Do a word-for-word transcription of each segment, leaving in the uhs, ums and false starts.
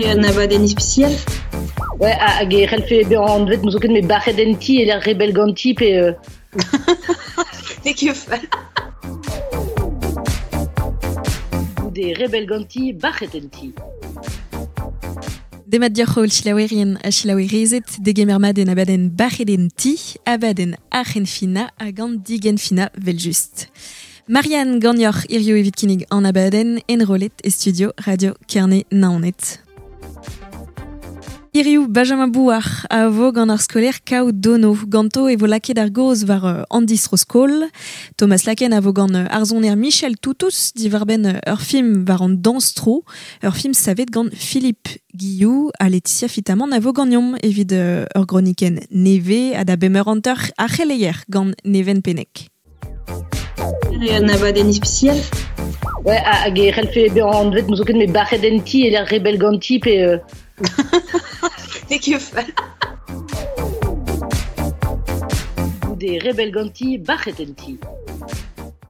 Un abadenn ispisial. Ouais, hag e c'hellfe bezañ anvet n'eus ket met bac'het en ti e lec'h rebell ganti pe... Euh... Ne ket fall. Goude rebell ganti, bac'het en ti. Demat dioc'h holl chilaouerien ha chilaouerezed degemer mat en abadenn bac'het en ti, abadenn ar c'henfina hag an digenfina vel just. Marianne ganeoc'h hirio evit kinnig an abadenn enrollet e studio Radio Kerne Naoned. Hiriv Benjamin Bouard a vo gant ar skolaer Kaou Dono. Ganto e vo lakaet ar gaoz war uh, an distro-skol. Thomas Laken a vo gant uh, ar soner Michel Toutous diwar-benn uh, ur film war an dañs-tro, ur film savet gant Philippe Guillou ha Laetitia Fitamant a vo ganeomp evit uh, ur gronikenn neve ha da bemeur hanter ar c'heleier gant Neven Penek. Un abadenn ispisial. Ouais, hag e c'hellfe bezañ anvet n'eus ket met bac'het en ti e lec'h rebell ganti pe... Euh... Ne ket fall. Goude rebell ganti, bac'het en ti.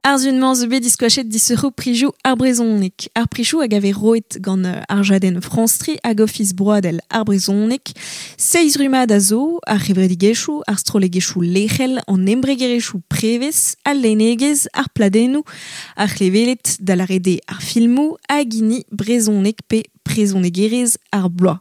Ar zun-mañ zo bet diskoachet disoc'hoù prizioù ar brezhoneg. Ar prizioù hag a vez roet gant ar jadenn France tri hag Ofis Broadel ar brezhoneg. Seizh rummad a zo, ar c'hevredigezhioù, ar strollegezhioù lec'hel, an embregerezhioù prevez, al lennegezh, ar pladennoù, ar c'hleveled da lâret eo ar filmoù hag hini brezhoneg pe brezhonegerezh ar bloaz.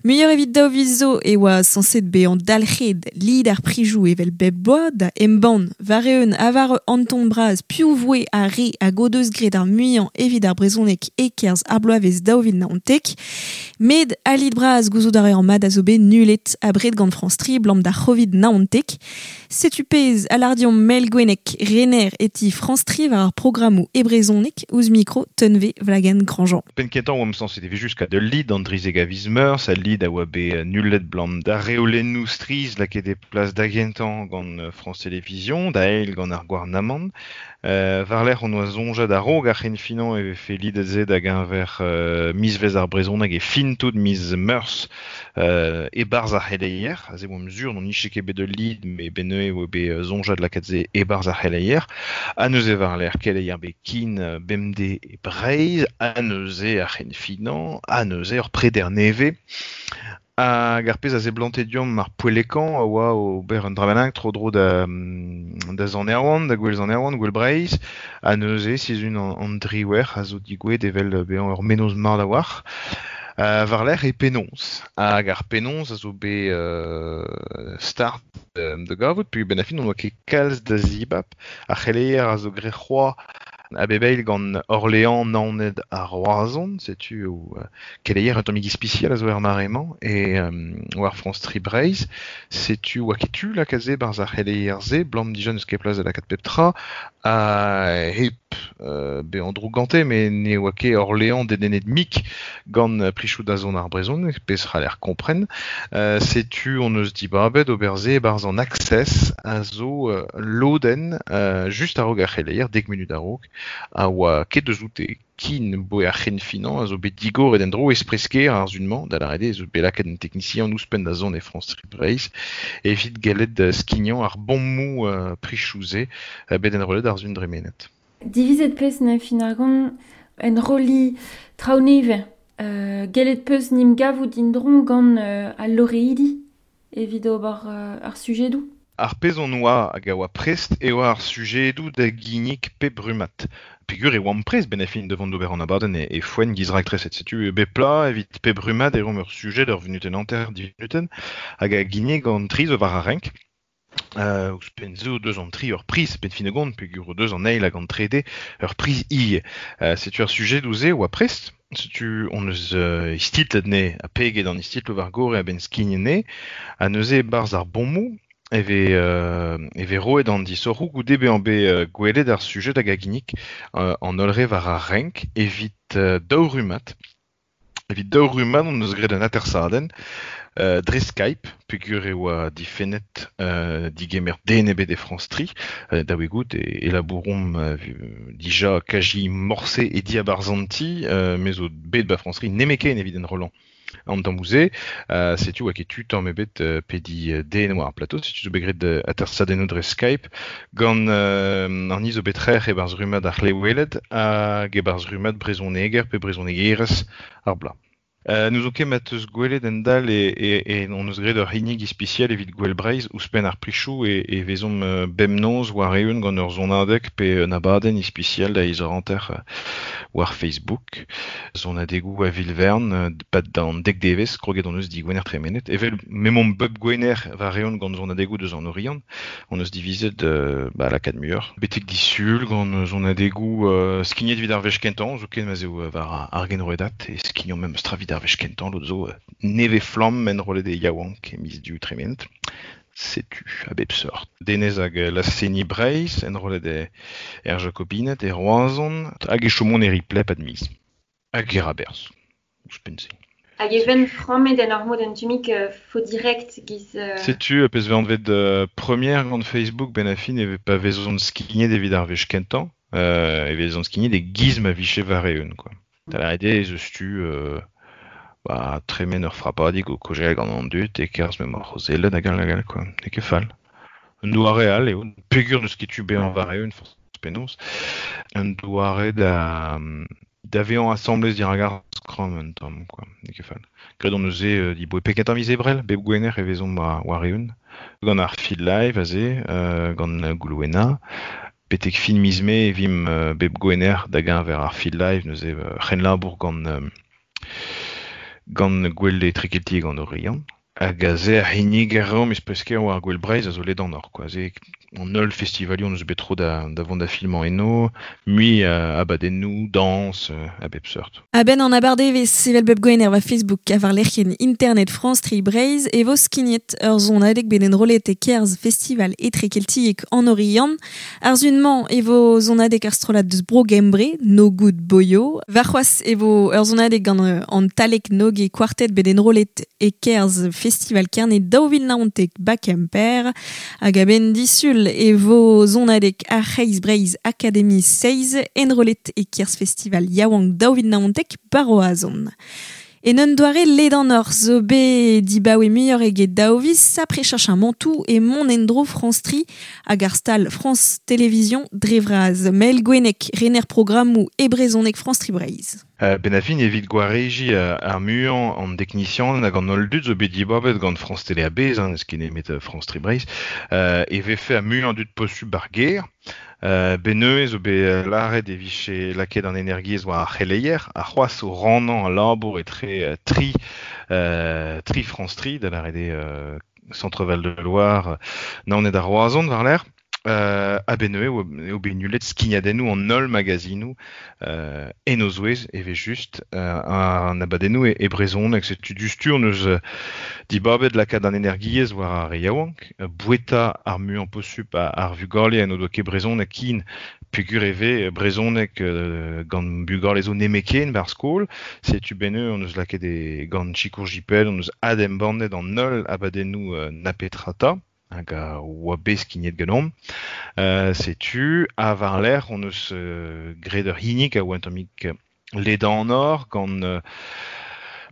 Muioc'h evit daou viz zo e oa sañset bezañ dalc'het lid ar prizioù evel bep bloaz da embann war-eeun ha war an ton bras piv voe ar re hag o deus graet ar muiañ evit ar brezhoneg e-kerzh ar bloavezh daou vil naontek. Met al lid bras gouzout a reer mat a zo bet nullet abred gant France tri blam d'ar C'hovid naontek. Setu pezh a lâr deomp Mel Gwennek rener e ti France tri war ar programmoù e brezhoneg ouzh mikro Tunve Vlagen Grandjean. Penn kentañ oamp sañset e vez jusqu'à de lid an drizeg a viz meurzh, al lid a oa bet nullet blam da reolennoù strizh lakaet e plas da gentañ gant France Télévisions, da eil gant ar gouarnamant. Euh, war-lerc'h on oa soñjet a-raok ar c'henfinañ e vefe lidet-se da geñver euh, mizvezh ar brezhoneg e fin tout miz meurzh euh, e-barzh ar c'heleier. Aze oamp sur n'on nije ket bet ul lid, met benn-neuze e oa bet soñjet lakaat-se e-barzh ar c'heleier. Ha neuze war-lerc'h keleier bet kin bemdez e Breizh, ha neuze ar c'henfinañ, ha neuze ur preder nevez. Hag ar pezh a zeblante deomp ar poellekañ a oa ober un dra bennak tro-dro da, da Sant Erwan, da Gouel Sant Erwan, Gouel Breizh, ha neuze sizhun an, an driwec'h a zo digouezhet evel bezañ ur mennozh mat a-walc'h. Uh, war-lerc'h e penaos. Hag ar penaos a zo bet uh, start uh, da gavout, peogwir benn ar fin on oa ket kalz da zibab. Ar c'heleier a zo graet c'hoazh a bep eil gant Orléans, Naoned ha Roazhon, setu o uh, keleier un tammig ispisial a zo er mare-mañ, e um, war France tri Breizh, setu oa ket tu lakaat se barzh ar c'heleier-se, blam dija n'eus ket plas da lakaat pep tra, ha hep uh, bezañ droug gante, met ne oa ket Orléans dedennet mik gant prizioù da zont ar brezhoneg, pezh c'haller kompren. Uh, setu on eus dibabet ober se barzh an Access a zo uh, lodenn uh, just a-raok ar c'heleier, dek munut a-raok, a oa ket deus oute kin boe ar c'henfinañ a zo bet digoret en dro espresker ar zun-mañ, da lâret eo zo bet lakaet un teknisian ouzhpenn da zont e France tri Breizh, evit gellet skignañ ar bommoù uh, prizioù-se uh, bet enrollet ar zun dremenet. Divizet peus na fin ar gant enrolli traoù nevez. Euh, gellet peus nim gavout indron gant euh, al loreidi evit ober euh, ar sujedoù. Ar pezh on oa hag a oa prest e oa ar sujedoù da ginnig pep rummad. Peogwir e oamp prest benn ar fin devant d'ober an abadenn e, e foenn giz raktreset. Setu bep plat evit pep rummad e roomp ur sujed ur vunutenn hanter, div vunutenn, hag a ginnig an tri zo war ar renk. Euh, ouzhpenn zo deus an tri ur priz benn fin gont, peogwir o deus an eil hag an trede ur priz ivez. Euh, setu ar sujedoù-se oa prest. Setu on eus euh, istitlet ne ha peget an istitloù war gore a-benn skignet ne, ha neuze e-barzh ar bommoù e vez, euh, e vez roet an disoc'hoù goude bezañ bet euh, gwelet ar sujed hag a ginnig euh, an holl re war ar renk evit euh, daou rummad. Evit daou rummad on eus graet un atersadenn euh, dre Skype, peogwir e oa difennet euh, digemer den ebet e France tri, euh, da wegout e, e labouromp euh, dija kaji morse e diabarzh an ti, euh, me zo bet ba France tri nemeken evit enrollañ an tamm-se, euh, setu oa ket tu tamm ebet euh, pediñ euh, den war ar plateau, setu zo bet graet euh, atersadennoù dre Skype gant euh, an ni zo bet trec'h e-barzh rummad ar c'hleweled hag e-barzh rummad brezhoneger pe brezhonegerez ar bloaz. Euh, nous ket mat eus gwelet en dal e, e, e on eus graet ur hinnig ispisial evit gwell Breizh ouzhpenn ar prichoù e, e vezomp uh, bemnoz war eeun gant ur zonadeg pe un abadenn ispisial da iz ranter uh, war Facebook. Zonadegou a Vilvern, uh, pat d'an dek devez, kroget on eus di gwener tremenet. Evel memomp bep gwener war eeun gant zonadegou deus an Oriant, on eus divizet uh, ba, la kad muur. Betek disul gant zonadegou uh, skignet vid ar wech kentan, zo ken ma zeo war ar genroedat, e skignon mem stra vid ar wech kentan, l'autre zo neve flamm en rolet e yaouank e miz du tremenet. Setu a bep seurt. Denez hag la seni Breizh, en rolet e er Jacobinet, e Roazhon, hag e chomon e riplep ad miz. Hag e raberz, ouzhpenn-se. Hag e ven frammet en ur mod un tumik euh, fo direct giz... Euh... Setu, pez ve anvet euh, première gant Facebook ben a fin e pa vezon skignet evit ar wech kentan, euh, e vezon skignet e giz ma viche war eeun, quoi. Da la ede ez eus tu... Euh, ba, tremen ur frapadig o kojel gant an dud, e kerz mem ar c'hozelle da gal gal, quoi. E ket fall. Un doare all eo, pegur deus ket tu bezañ war eeun, forz penaos. Un doare da... da vezañ asamblez dirak ar skramm un tamm, quoi. E ket fall. Graet on eus e di boe peket ar miz ebrel, bep gwener e vezomp war, war eeun. Gant ar feed live aze, euh, gant Goulouena. Betek fin miz mae e vim euh, bep gwener da geñver ar feed live, neuze euh, c'hen labour gant... Euh, gant gwell etrekeltiek gant Oriant. Hag aze ar hinnig ar reomp eus war gwell Breizh a zo ledan or, quoi. Aze an holl festivalion eus bet tro da, da vont da filmañ eno, mui uh, abadennoù, dañs, uh, a bep seurt. A-benn an abardevez sevel bep gwener war Facebook a war lec'hienn Internet France Tri Breizh e vo skignet ur zonadeg bet enrollet e kerz festival etrekeltiek an Oriant. Ar zunmañ e vo zonadeg ar strollad deus Bro Gembre, No Good Boyo. War c'hoazh e vo ur zonadeg gant an Talek Nog e quartet bet enrollet e kerz festival Kerne daou vil naontek ba Kemper. Hag a-benn disul e vo zonadeg ar C'hreiz Breizh Academy seiz enrollet e kerz festival Yaouank daou vil naontek ba Roazhon. En un doare ledan or zo bet dibaoe muioc'h eget daou viz, sapre chach un mantou e mont endro France Tri hag ar stal France Télévisions dre vras. Mael Gwennek, rener programmoù e brezhoneg France Tri Breizh. Euh, ben a fin evit gwareji uh, ar muiañ an teknisian hag an holl dud zo bet dibabet gant France Télé a-bezh, hein, eus ket nemet France Tri Breizh, euh, e vefe ar muiañ dud posubl ar ger. Euh, beneuez zo bet lâret e vije lakaet an energiezh war ar c'heleier, ar c'hoazh o rannañ al labour etre tri, euh, tri France Tri, da lâret eo euh, Centre-Val de Loire, Naoned ar Roazhon war l'air. Euh, a beneuez eo, eo bet nullet skignadennoù an holl magazinoù euh, en o zouez e vez just euh, an abadennoù e, e brezhoneg setu du stur neus euh, dibabet lakaat an energiezh war ar re yaouank, boueta ar muiañ posubl ar vugale en o doa ket brezhoneg kin peogwir e vez brezhoneg euh, gant bugale zo nemeken bar skol, setu beneu on eus lakaet e gant Chikour Jipel, on eus adembannet an holl abadennoù euh, na petrata hag a oa bet skignet ganeomp. Euh, setu, a war l'air, on eus euh, graet ur hinnig a oa un tammig ledan or gant euh,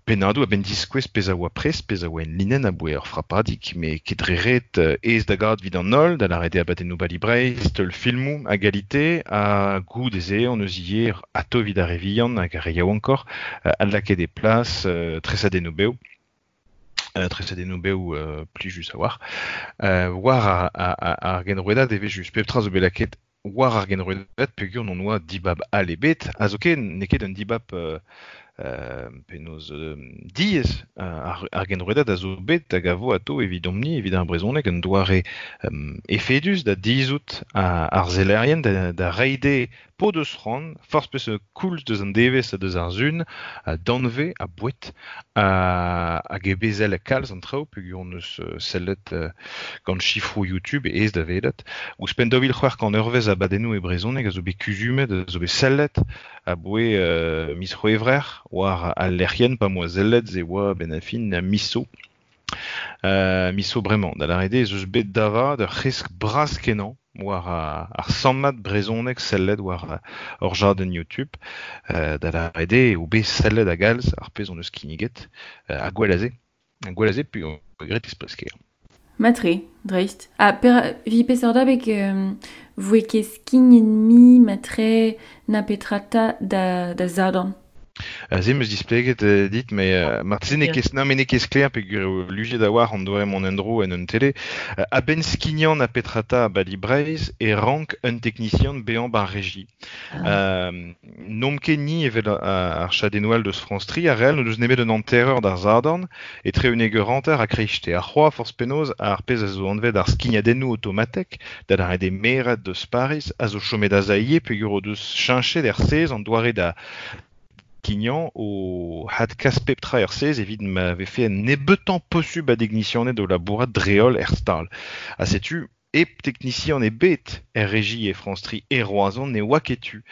pennadoù a-benn diskouez pezh a oa prest, pezh a oa en linenn a boe ur frapadig, me ket dre ret euh, aes da gad evit an holl, da lâret eo abadennoù Bali Breizh, teul filmoù a galite, ha goût ez eo, on eus ivez atao evit ar re vihan hag ar re yaouankoc'h, euh, adlakaet e plas, euh, tresadennoù bev. Euh, tresadennoù bev euh, plijus a war. Euh, war ar, ar, ar, ar genrouedad e vez just pep tra zo bet lakaet war ar genrouedad peogwir n'on oa dibab all ebet, ha zoken n'eo ket un dibab euh, euh, penaos euh, diaes euh, ar, ar genrouedad a zo bet hag a vo atao evidomp-ni evit ar brezhoneg un doare euh, efedus da dizout ar sellerien da, da reiñ dezhe po deus c'hoant, forzh peseurt koulz deus an devezh ha deus ar sun, a danvez, a boued, hag e bezel kalz an traoù peogwir hon eus sellet euh, gant chifroù YouTube e aes da welet. Ouzhpenn daou vil c'hwec'h kant eurvezh abadennoù e brezhoneg a zo bet kuzumet, a zo bet sellet, a boe euh, miz c'hwevrer war al lec'hienn pa moa sellet ze oa ben a fin miso. Euh, miso bremañ, da lâret eo ez eus bet davad ur c'hresk bras kenañ war ar sammad brezhoneg sellet war ur jadenn YouTube, euh, da lâret eo bet sellet a galz ar pezh hon eus kinniget, euh, ha gwell aze. Ha gwell aze puis on regret espresker. Matre, dreist. Ha per vi peseurt abeg euh, voe ket skignet mi matre na petrata da, da zadorn. Se meus displeget euh, dit, mais euh, marteze ne ket na me ne ket sklaer peogwir eo lujet a war an doare mont en-dro en un tele. Euh, a-benn skignan a petrata a bali Breizh e rank un technicien bezañ bar régie. Ah. Euh, N'omp ket ni evel ar chadennoù deus France Tri, ar real n'o deus nemet un hantereur d'ar Zadorn, etre un eur hanter a kreiste. Ar c'hoa forzh penaos ar pezh a zo anvet ar skignadennoù automatek, da ar de merad deus Paris, a zo chomet a zaie peogwir o deus cheñchet er sez an doare da kignan o had kas pep tra er sez evit ma vefe un nebeutañ posubl a degnisianed o labourat dreol er stal. Ha setu hep technicien ebet er régie e France Tri e Roazhon ne oa ket tu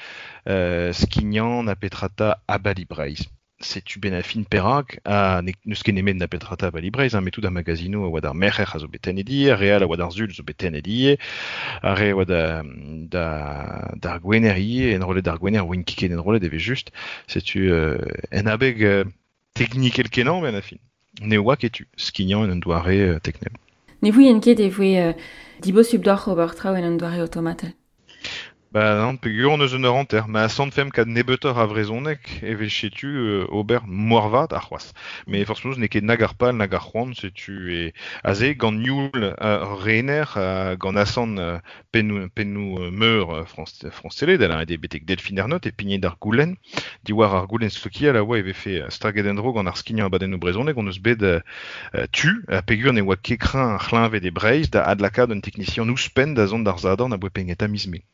euh, skignan na petrata a bali Breizh. Setu ben a fin perak a ne, n'eus ket nemet na petrata a bali Breizh, hein, met tout ar magazino a oa d'ar merc'her a zo bet tennet die, ar real a oa d'ar zul zo bet tennet die, ar re a oa da, da, d'ar gwener ie, enrollet d'ar gwener oa ket enrollet eve just. Setu euh, en abeg euh, teknikel kenañ ben a fin. Ne oa ket tu, skignan en un doare euh, teknel. Ne vouen ket e voe euh, dibosubl deoc'h ober traoù en un doare automatel. Ba non, peogwir on eus un eur hanter, ma asant femp kad nebeutoc'h a vrezhoneg e vez setu euh, ober moarvat ar c'hoazh. Mais forzh penaos n'eo ket nag ar pal nag ar c'hoant, setu e aze gant nioul euh, rener euh, gant asant euh, pennoù, pennoù euh, meur euh, France, France Télé, da lâret eo betek Delphine Ernotte e pignet d'ar goulenn, diwar ar goulenn sokial a oa e vefe staget en-dro gant ar skignañ abadennoù brezhoneg, on eus bet euh, tu, ha peogwir ne oa ket kreñv ar c'hleñved e Breizh da adlakaat un technicien ouzhpenn da zont d'ar Zadorn a boe pegnet a miz Mae.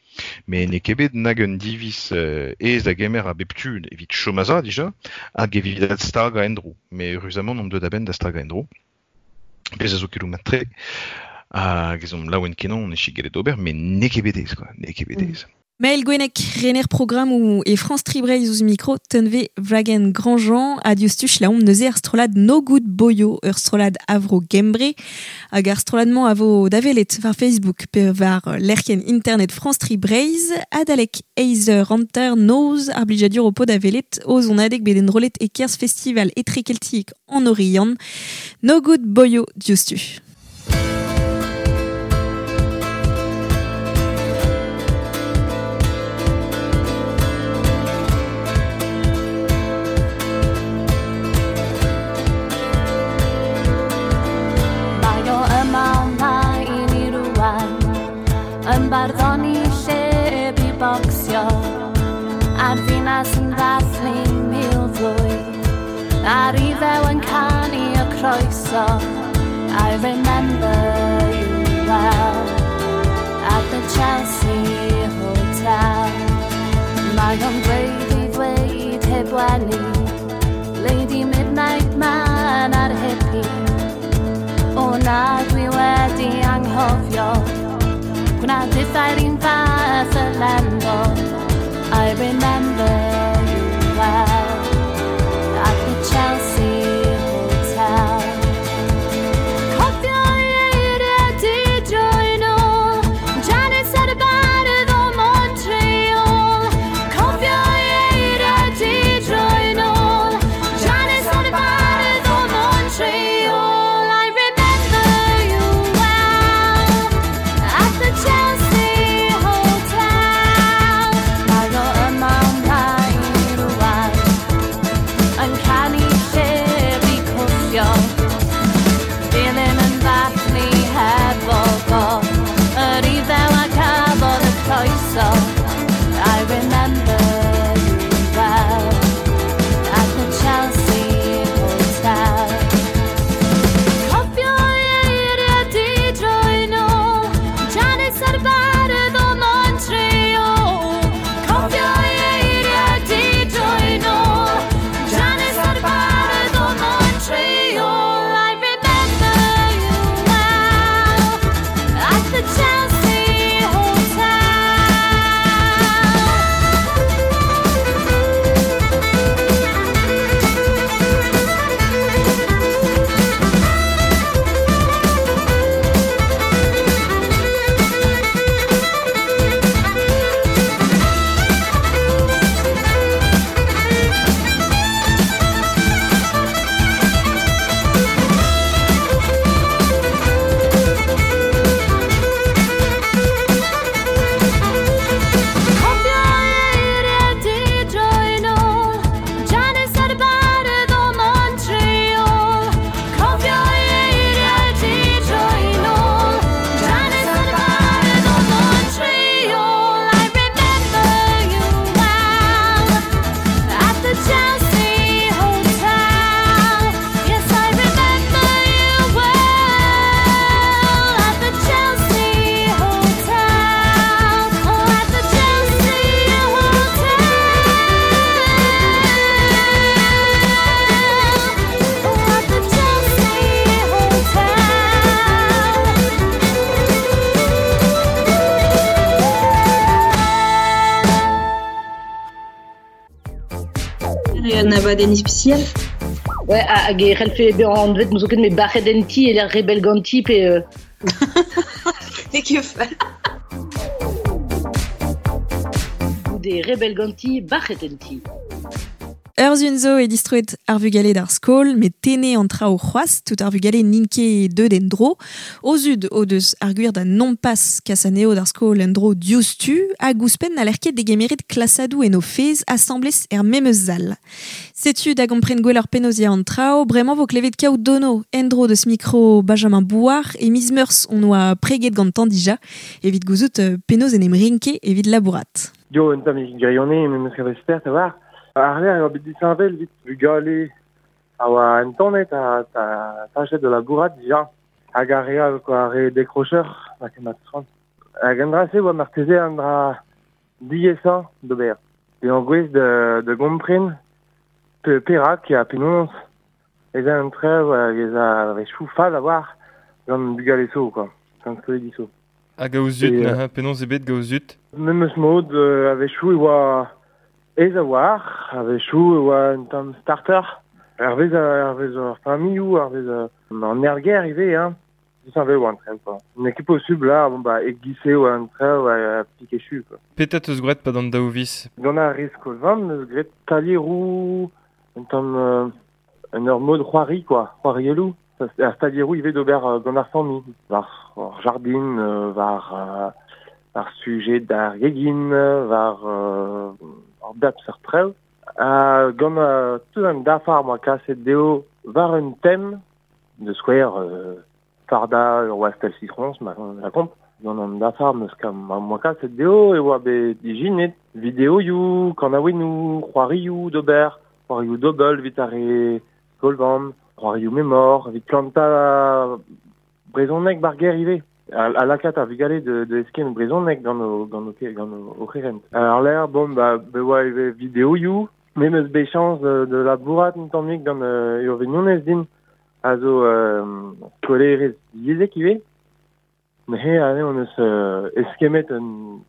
Mais n'eo ket bet nag un diviz euh, aes da gemer a bep tu evit chom a za dija, hag evit adstagañ en-dro. Mais eüruzamant omp deuet a-benn da stagañ en-dro. Pezh a zo keloù mat-tre. Hag ez omp laouen kenañ on echu gellet ober, mais n'eo ket bet aes, quoi. N'eo ket bet aes. Maël Gwennec, rener programme ou e France Tri Breizh ouzh mikro Tunve Wlagen Grandjean, adios tuch la omp neuze ar strollad No Good Boyo, ur strollad avro Gembre, hag ar strollad-mañ a vo davelet war Facebook pe war lec'hienn internet France Tri Breizh, adalek eizh eur hanter noz ar blijadur o po davelet o zonadeg bet enrollet e-kerzh festival etrekeltiek en Oriant. No Good Boyo diouzhtu. Mae o yma ymlaen i rŵan, yn barddoni lle bu bocsio, a'r ddinas yn ddathlu mil flwydd, a'r iddew yn canu y croeso. I remember you well at the Chelsea Hotel. Mae o'n dweud i ddweud heb wenu, Lady Midnight Man a'r hippie. O na, dwi wedi anghofio, gwna dithau'r un fath y lembo. I remember you well at the Chelsea Hotel. Cofio eiriau di droi nôl, Janice ar y bardd o Montreal. Cofio eiriau di droi nôl, Janice ar y bardd o Montreal. I remember you well at the Chelsea Hotel. Mae o yma ymlaen Un abadenn ispisial. Ouais, hag e c'hellfe bezañ anvet zoken me bac'het en ti e lec'h rebell ganti pe... Euh... N'eo ket fall. Goude rebell ganti, bac'het en ti. Ur zun zo e distroet ar vugale d'ar skol, met tene an traoù c'hoazh, tout ar vugale n'int ket deut en dro. O zud o deus ar gwir da nompas kas anezho d'ar skol en dro diouzhtu, hag ouzhpenn n'haller ket degemeret klasadoù en o fezh asambles er memes sal. Setu da gompren gwelloc'h penaos ya an traoù, bremañ vo klevet kaout dono en dro deus mikro Benjamin Bouard e miz Meurzh on oa preget gantañ dija evit gouzout penaos en em renke evit labourat. Yo, un tamm grionne, memes kavet spert a war. Ar lec'h eo bet disheñvel evit bugale a oa entanet a tachet de labourat dija. Hag ar re all, quoi, ar re décrocheur, ma ket mat tran. Hag an dra-se oa marteze an dra diaesañ d'ober. Pe an gwez de, de gompren pe perak a penaos ez a an trev hag ez a rechoù fall a war gant bugale so, quoi. Gant skolidi so. Hag a zut, euh, penaos eo bet gant o zud? Memes mod euh, a-wechoù e oa ez a war, a-wechoù e oa un tamm starter. Hervez hervez ar familhoù, hervez an erger ivez, hein. Disheñvel oa an trev, quoi. N'eo ket posubl là, bon bah e-giz eo an trev a pikechu, quoi. Petra teus graet pa d'an daou viz? Gant ar re skol-vamm neus graet talieroù, un tamm euh, un ur mod c'hoari, quoi, c'hoarielloù. Ar talieroù ivez d'ober gant ar familh. War ar jardin, war euh, ar sujet d'ar gegin, war euh, ar bep seurt trev. Ha gant euh, tout an dafar moa kaset dezho war un tem de skouer euh, farda ur wastel citrons, ma la komp. Gant an dafar meus moa kaset dezho e oa bet ijinet videoioù, kanaouennoù, c'hoarioù d'ober, c'hoarioù dobel evit ar re skol-vamm, c'hoarioù memor, evit plantañ brezhoneg bar ger ivez. A, a lakaat ar vugale de, de eskemm brezhoneg gant o, gant o, gant o, o c'herent. Ar lec'h, bon, ba, be oa ivez videoioù, me meus bet chañs de, de labourat un tammig gant euh, ur vignonez din, a zo euh, skolaerez divyezhek ivez. Neuze, ane, on eus euh, eskemmet un,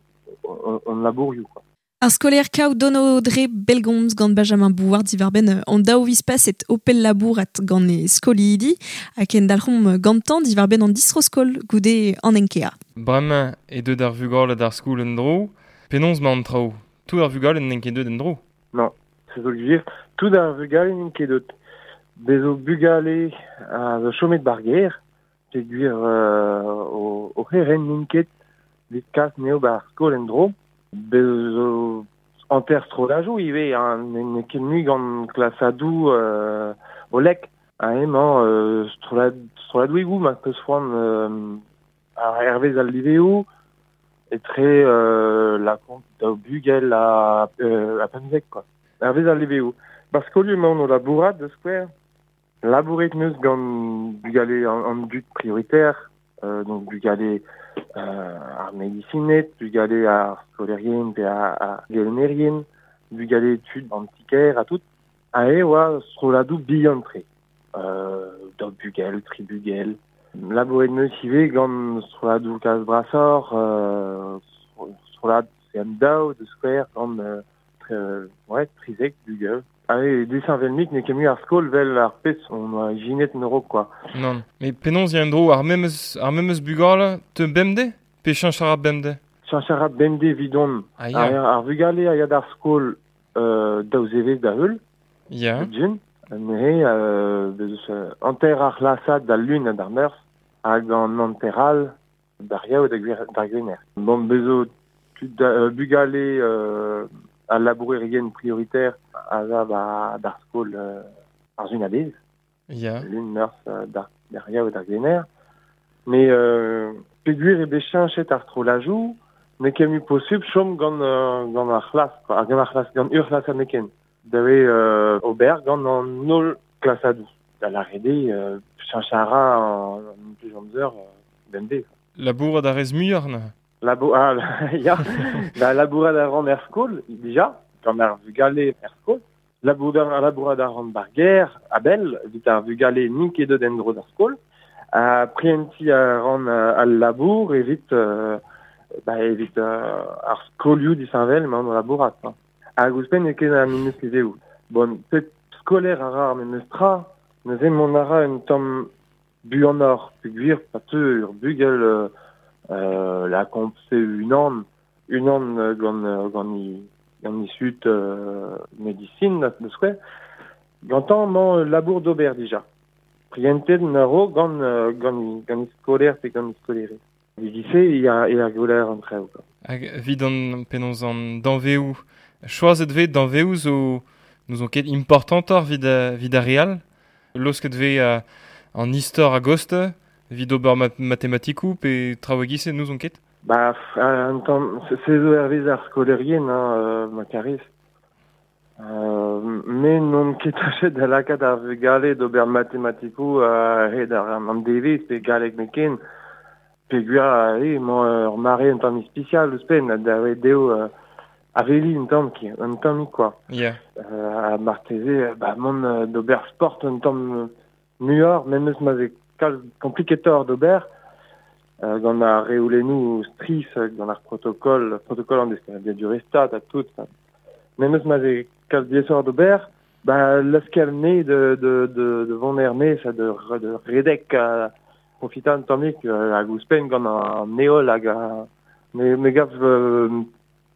un, un labourioù, quoi. Ar skolaer kaout dono dre belgomz gant Benjamin Bouard diwar-benn an daou viz paset o pell labourat gant e skolidi hag en dalc'homp gantañ diwar-benn an distro-skol goude an enkea. Bremañ e deut ar vugale d'ar skol en dro, penaos ma an traoù? Tout ar vugale n'int ket deut en dro? Non, c'est zo gwir, tout ar vugale n'int ket deut. Bezo bugale a zo chomet bar ger, pe gwir euh, o, o c'herent n'int ket evit kas neo bar skol en dro. Bezo hanter strolajoù ivez, hein, n'eo ket mui gant klasadoù euh, o lek. Ha emañ euh, strolad, stroladouigoù ma peus c'hoant euh, ar hervez al liveoù etre euh, la kont daou bugel a, euh, a pemzek, quoi. Hervez al liveoù. Bar skolioù emaon o labourat de skouer. Labouret neus gant bugale an, an dud prioritaire, euh, donc bugale euh, ar medisined, bugale ar skolaerien pe ar, ar gelennerien, bugale tud an ti-kêr ha tout. Ha e oa stroladoù bihan-tre. Euh, daou bugel, tri bugel. Labouret neus ivez gant stroladoù kalz brasoc'h, euh, strolad C M daou de skouer gant euh, tre, ouais, trizek bugel. Ah, disheñvel-mik n'eo ket mui ar skol vel ar pezh on oa ijinet en Europ, quoi. Non, mais penaos ya en dro ar memes, ar memes bugale te bemdez? Pe cheñch a ra bemdez? Cheñch a ra bemdez evidon. Ah, ya. Ar, ar vugale a ya d'ar skol euh, daou zevezh da heul. Ya. Djun. Neuze, euh, beus hanter ar c'hlasad d'al lun ha d'ar meurzh hag an hanter all d'ar yaou da gwer, d'ar gwener. Bon, bezo tud da, euh, bugale euh, al labourerien prioritaire a za ba d'ar skol euh, ar zun a-bezh. Ya. Lun meurzh euh, d'ar, d'ar yaou d'ar gwener. Mais euh, peogwir eo bet cheñchet ar strolajoù, n'eo ket mui posubl chom gant, euh, gant ar c'hlas, quoi. Gant ar c'hlas, gant ur c'hlas aneken. Dave euh, ober gant an holl klasadoù. Da lâret eo, euh, cheñch a ra an, an plus amzer euh, bemdez. Labourat a rez muioc'h neuze? Labo ah, ya, da labourat a ran er skol, dija, gant ar vugale er skol. Labourat, labourat a ran bar ger, a-bell, evit ar vugale n'int ket deut en-dro d'ar skol. Ha prientiñ a ran al labour evit, euh, ba, evit euh, ar skolioù disheñvel emaon o labourat. Hein. Hag ouzhpenn eo ket ar memes liveoù. Bon, pet skolaer a ra ar memes tra, neuze mont a ra un tamm buanoc'h, peogwir pa teu ur bugel euh, euh, lakaomp se unan, unan euh, gant, euh, gant i, gant i sut euh, medicine, da da skouer, gantañ emañ labour d'ober dija. Prientet na ro gant, euh, gant, i, gant i skolaer pe gant i skolaerez. Evit-se e a, e a gweler an traoù, quoi. Hag evit an penaos an danveoù, choazet vez danveoù zo n'ouzon ket importantoc'h evit, evit ar re all. Laosket vez uh, an istor a-gost, evit ober mat matematikoù pe traoù e-giz-se n'ouzon ket. Ba, un tamm, se zo hervez ar skolaerien, hein, euh, ma karez. Euh, me n'on ket tachet da lakaat ar vugale d'ober matematikoù a-hed ar an devezh pe galleg nemetken. Peogwir eo emañ ur mare un tamm ispisial ouzhpenn da ret dezho euh, aveliñ un tamm ki, un tammig quoi. Yeah. Euh, ha marteze ba mont euh, d'ober sport un tamm muioc'h, memes ma vez kalz kompliketoc'h d'ober, euh, gant ar reolennoù strizh, gant ar protokol, protokol an deskadurezh stad ha tout. Memes ma vez kalz diaesoc'h d'ober, ba laoskel anezhe de, de, de, de vont er-maez ha de, de redek ha profitañ un tammig euh, hag ouzhpenn gant an heol hag a, me, me gav euh,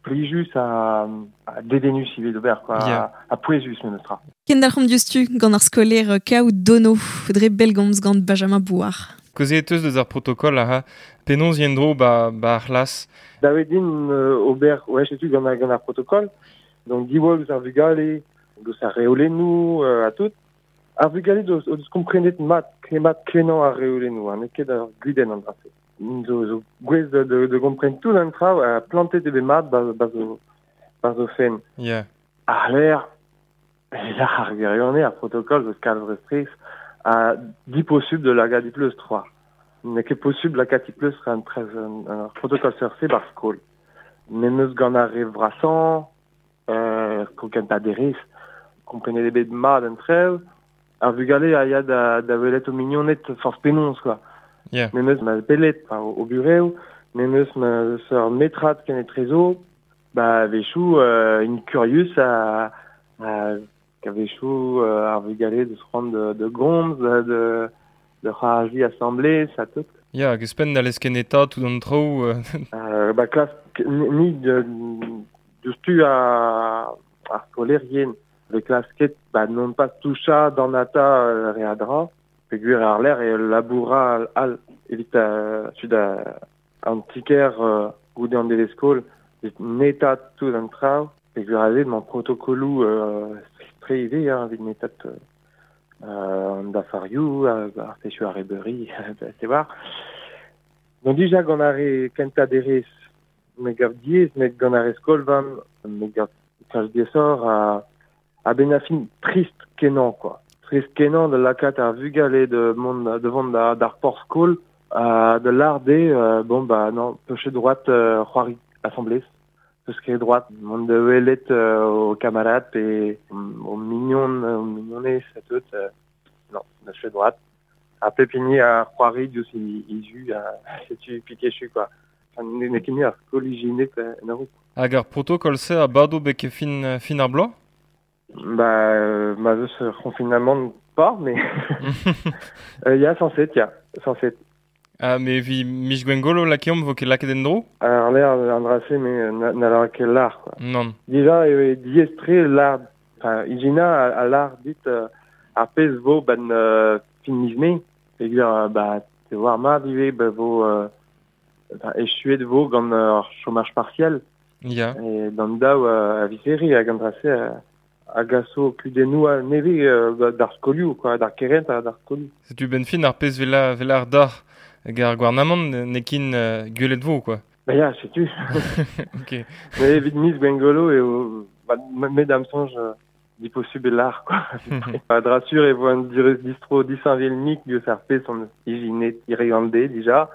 plijus ha, ha dedennus ivez d'ober, quoi, Yeah. ha, ha pouezus memes tra. Kendalc'homp diouzhtu gant ar skolaer Kaou Dono, dre bellgomz gant Benjamin Bouard. Kaozeet teus deus ar protokol ha penaos yen dro ba, ba ar c'hlas. Da eo din euh, ober, ouais, setu gant ar, gant ar protokol, donc diwall ouzh ar vugale, deus ar reolennoù euh, ha tout. Ar vugale deus, o deus komprenet mat, mat kenañ ar reolennoù, ha n'eo ket ar gudenn an dra-se. Zo, zo gouest de, de, de kompren tout an traoù, ha plantet eo bet mat ba, ba zo, ba zo fenn. Yeah. Ar l'air, la ar gwirionez, ar protokol zo kalz re strizh, ha diposubl de lakaat e pleustr c'hoazh. N'eo ket posubl lakaat e pleustr an trez un, un protokol seurt-se bar skol. Memes gant ar re vrasañ, euh, skol kentañ derez, komprenet eo bet mat an traoù, ar vugale a ya da, da welet o mignoned forzh penaos, quoi. Yeah. Memes ma pellet enfin, o, o burev, memes ma ur metrad kenetrezo, ba a-wechoù euh, int kurius a, a a-wechoù euh, ar vugale deus c'hoant de, de gomz, de, de, de c'hoari asambles, ha tout. Ya, hag ouzhpenn n'hallez ket netaat tout an traoù. Euh, Euh, ba klask ni de, diouzhtu a, ar skolaerien. Ve klasket ba non pas touchañ dornata euh, re a dra, peogwir ar lec'h e laboura al evit euh, tud a, an ti-kêr euh, goude an devezh skol, evit netaat tout an traoù, peogwir aze emañ protokoloù euh, strizh-tre ivez, hein, evit netaat euh, an dafarioù, ar pezhioù arrebeuri, te war. Donc dija gant ar re kentañ derez, me gav diaes, met gant ar re skol-vamm, me gav kalz diaesoc'h ha a-benn ar fin trist kenañ, quoi. Trist kenañ da lakaat ar vugale de mont de vont da, d'ar porzh skol, euh, de lâr dezhe, euh, bon bah non, peus ket droit euh, c'hoari asambles. Peus ket droit mont da welet euh, ho kamarad pe o mignon, o mignonez ha tout, euh, non, n'eus ket droit. Ha pep hini a c'hoari diouzh e, e zu, ha setu pik echu, quoi. Enfin, n'eo ket mui ar skol ijinet en a-raok. Hag ar protokol-se a bado betek fin, fin ar bloaz? Ba, euh, ma eus ur confinamant pas, mais euh, ya, sañset, ya, sañset. Ah, mais evit miz Gwengolo lakeomp vo ket lakaet en-dro? Ar l'air an dra-se, mais na, n'haller ket lâr, quoi. Nann. Dija eo diaes-tre lâr, enfin, ijinañ a, a lâr dit euh, ar pezh vo ben euh, fin miz Mae, peogwir euh, ba te oar mat ivez, ba vo euh, enfin, echuet vo gant ur chômage partiel. Ya. E d'an daou euh, a viz Here hag an dra-se euh, a gaso kudennoù a nevez euh, ba, d'ar skolioù, quoi, d'ar kerent ha d'ar skolioù. Setu ben fin ar pezh vela, vela ar d'ar hag ar gouarnamant n'eo ket euh, gwelet vo, quoi. Ba ya, setu. Ok. Mais evit miz Gwengolo eo, ba, me d'am soñj euh, diposubl eo lâr, quoi. A dra sur e vo un distro disheñvel-mik diouzh ar pezh hon eus ijinet hiriv an deiz dija.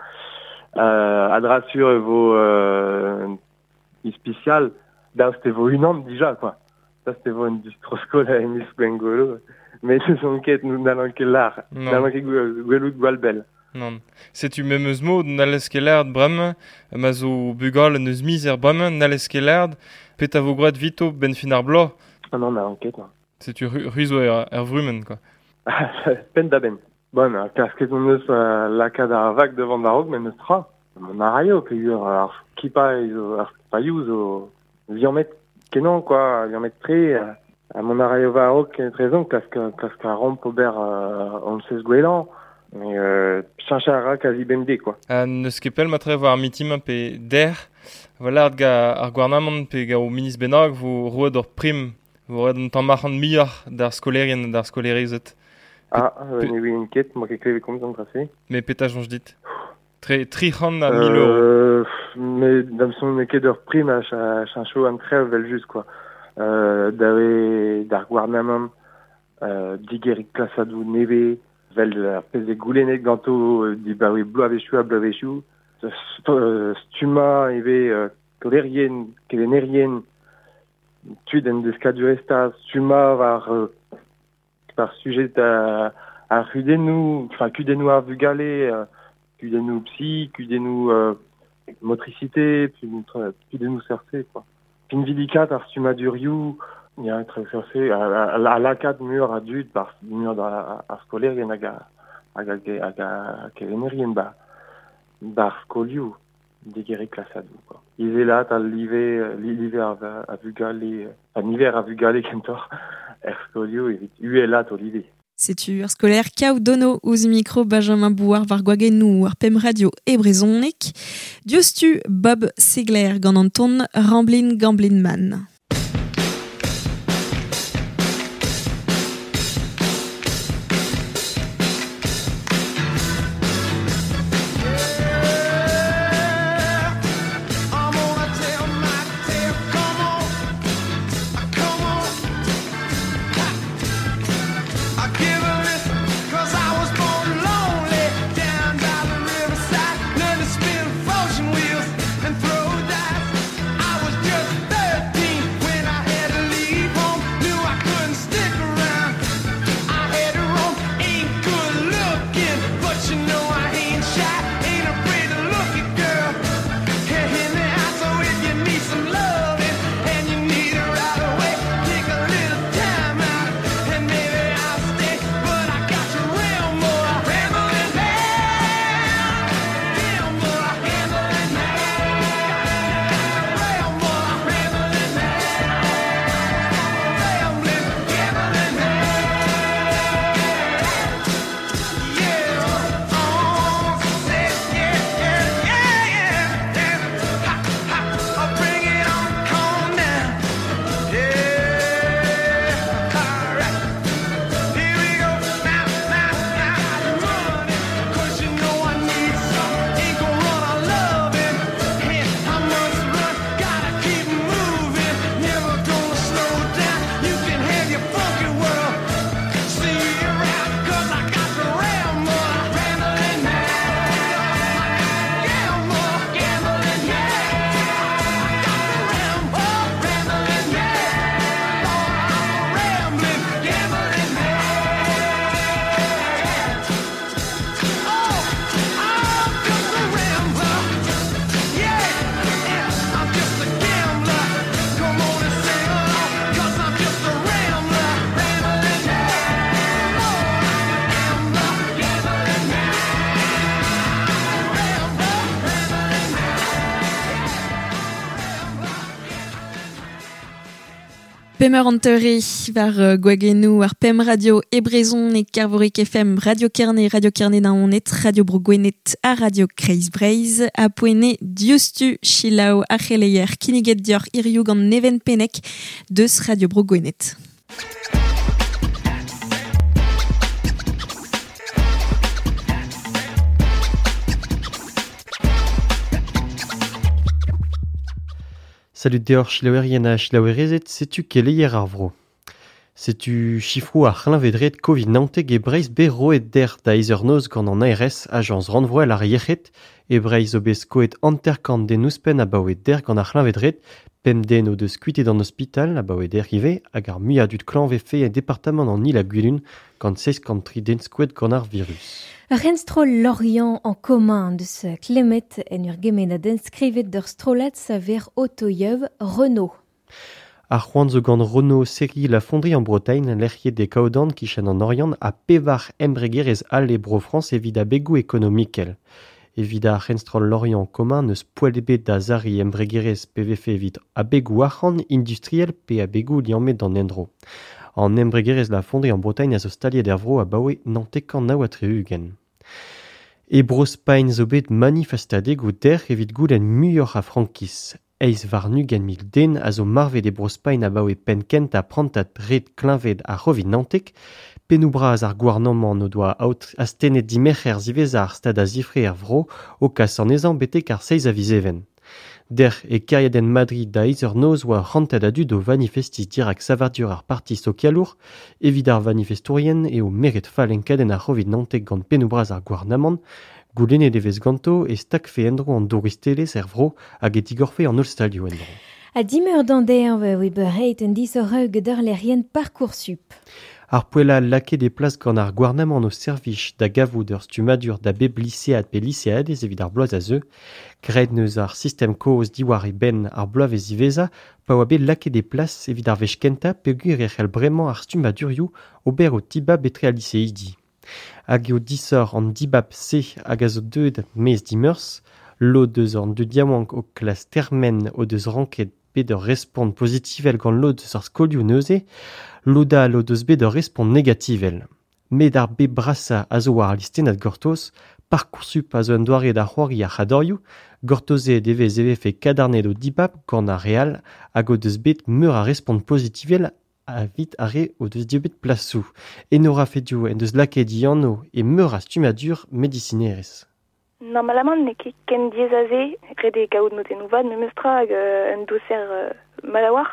Euh, a dra sur e vo euh, ispisial, daoust e vo unan dija, quoi. Daoust e vo un distro-skol e miz Gwengolo. Mais n'on ket, n'hallan ket lâr. Non. N'hallan ket gwelout gwall bell. Nann. Setu memes mod n'hallez ket lâret bremañ, ma zo bugale n'eus mizer bremañ, n'hallez ket lâret, petra vo graet evito ben fin ar bloaz. Ah non, n'hallan ket, non. Setu ruzo er, er vrumen, quoi. Pen da ben. Bon, klasket on eus uh, lakaat ar vag devant ar men eus tra. Mon araio, peogwir ar skipa ar skipaioù zo liammet kenañ, quoi, liammet tre. A mon araio war-raok trezon, klask, klask a ramp ober uh, on sez gwellañ. Mais euh, cheñch a ra kazi bemdez, quoi. Ha n'eus ket pell matre war ar mitim pe der, voilà ga ar gouarnamant pe ga o ministr bennak vo roet ur prim, vo roet un tamm arc'hant muioc'h d'ar skolerien d'ar skolerezed. Ah, euh, ne ouien ket, moi ket klevet komz an dra-se. Mais petra soñj dit? Tre, tri c'hant a mil euro. Euh, mais da'm soñj n'eo ket ur prim a cheñcho an trev vel just, quoi. Euh, dawe d'ar gouarnamant, euh, digerik klasadoù nevez, vel ar pezh e goulennet ganto dibaoe bloavezhioù ha bloavezhioù, stumma ivez euh, kolerien, kelennerien, tud en deskadurezh stumma war euh, par sujet a, ar c'hudennoù, enfin kudennoù ar vugale, euh, kudennoù psy, kudennoù euh, motricité, kudennoù seurt-se, quoi. Pinvidikat ar stummadurioù, ya tre seurt-se, a, a, a lakaat mur a dud, par mur da ar skolerien hag a hag a hag a kelennerien ba bar skolioù digeriñ klasadoù, quoi. Izelat al live, live ar, a vugale, an niver a vugale kentoc'h er skolioù evit uhelat o live. Setu ur skolaer Kaou Dono ouzh mikro Benjamin Bouard war gwagennoù ar pem radio e brezhoneg. Diouzhtu Bob Segler gant an ton Ramblin' Gamblin' Man. Pemeur anteure war uh, gwagennoù ar Pem Radio e Brezhon e Kervorik F M, Radio Kerne, Radio Kerne Naoned, Radio Bro Gwened ha Radio Kreiz Breizh, a poene diouzhtu Chilaou ar c'heleier kinniget dioc'h hiziv gant Neven Pennec deus Radio Bro Gwened. Salut deoc'h selaouerien ha selaouerezed, setu keleier ar vro. Setu chifroù ar c'hleñved-red Covid naontek e Breizh bet roet der da eizh eur noz gant an A R S, Ajañs Rannvroel ar Yec'hed, e Breizh zo bet skoet hanter-kant den ouzhpenn abaoe der gant ar c'hleñved-red, pemp den o deus kuitet an ospital abaoe der ivez hag ar muiañ dud klañv vefe e departamant an Il-ha-Gwilun gant seizh kant tri den skoet gant ar virus. Renstro Lorient en commun deus klemet en ur gemennadenn skrivet d'ur strollad saver otoiev Renault. Ar c'hoant zo gant Renaud serriñ la fonderie en Bretagne lec'hiet e Kaodan kichen an Oriant ha pevar embregerezh all e Bro-Frañs evit abegoù ekonomikel. Evit ar c'henstroll Lorient commun n'eus poell ebet da serriñ embregerezh pe vefe evit abegoù arc'hant industriel pe abegoù liammet d'an endro. An embregerezh la fonderie en Bretagne a zo staliet er vro abaoe naontek kant nav ha tri-ugent. E Bro-Spagn zo bet manifestadegoù dec'h evit goulenn muioc'h a frankiz. Eizh warn-ugent mil den a zo marvet e Bro-Spagn abaoe penn kentañ prantad red kleñved ar C'hovid naontek. Pennoù bras ar gouarnamant o doa astennet dimerc'her ziwezhañ ar stad a zifre er vro o kas anezhañ betek ar seizh a viz Even. Dec'h e kêriadenn Madrid da eizh eur noz oa ur c'hantad a dud o vanifestiñ dirak savadur ar parti sokialour. Evit ar vanifestourien eo meret fall enkadenn ar C'hovid naontek gant pennoù bras ar gouarnamant. Goulennet e vez ganto e stagfe en-dro an douristelezh er vro hag e digorfe an holl stalioù en-dro. A dimeur d'an derv oe beureit un disoc'h gant lec'hienn Parcoursup. Ar poella lakaet e plas gant ar gouarnamant o servij da gavout ur stummadur da bep lisead pe liseadez evit ar bloaz a zeu. Graet neus ar sistem kozh diwar e benn ar bloavezh ziwezhañ pa oa bet lakaet e plas evit ar wech kentañ peogwir e c'hell bremañ ar stummadurioù ober o tibab etre al liseidi. Hag eo disoc'h an dibab se hag a zo deuet maez dimeurzh, lod eus an dud yaouank o klas termen o deus ranket bet ur respont pozitivel gant lod eus ar skolioù neuze, lod all o deus bet ur respont negativel. Met ar bep brasañ a zo war al listennad gortoz, Parcoursup a zo un doare da c'hoari ar c'hadorioù, gortozet e vez e vefe kadarnet o dibab gant ar re all hag o deus bet meur a respont pozitivel evit ar re o deus dieubet plasoù. Enora Fedio en deus lakaet e anv e meur a stummadur medisinerezh. Normalement n'eo ket ken diaes aze, ret eo kaout notennoù vat memestra hag un doser euh, mat a-walc'h,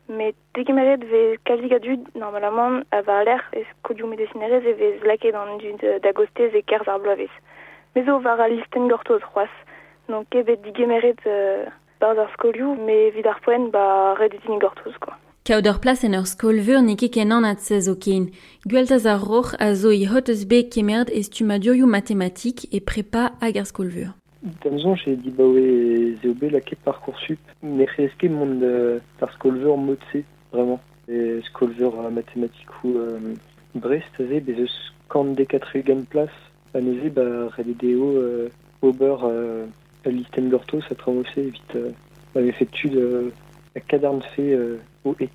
met degemeret vez kalzik a dud normalement a war-lerc'h e skolioù medisinerezh e vez lakaet an dud da gostez e-kerzh ar bloavezh. Me zo war al listenn gortoz c'hoazh, n'on ket bet digemeret euh, barzh ar skolioù, met evit ar poent ba ret eo din gortoz quoi. Kaout ur plas en ur skol-veur n'eo ket ken anat se zo ken. Gweltaz ar Roc'h a zo e hot eus bet kemeret e stummadurioù matematik e prepa hag ar skol-veur. D'am soñj eo dibaoe ez eo bet lakaet Parcoursup. Ne c'hellez ket mont d'ar skol-veur mod-se, vraiment. E skol-veur matematikoù euh, Brest aze, bez eus kant dek ha tri-ugent plas. Ha neuze ba ret eo dezho euh, ober euh, ul listenn gortoz ha traoù-se evit euh, ma vefe tud euh, kadarn-fe euh, o et.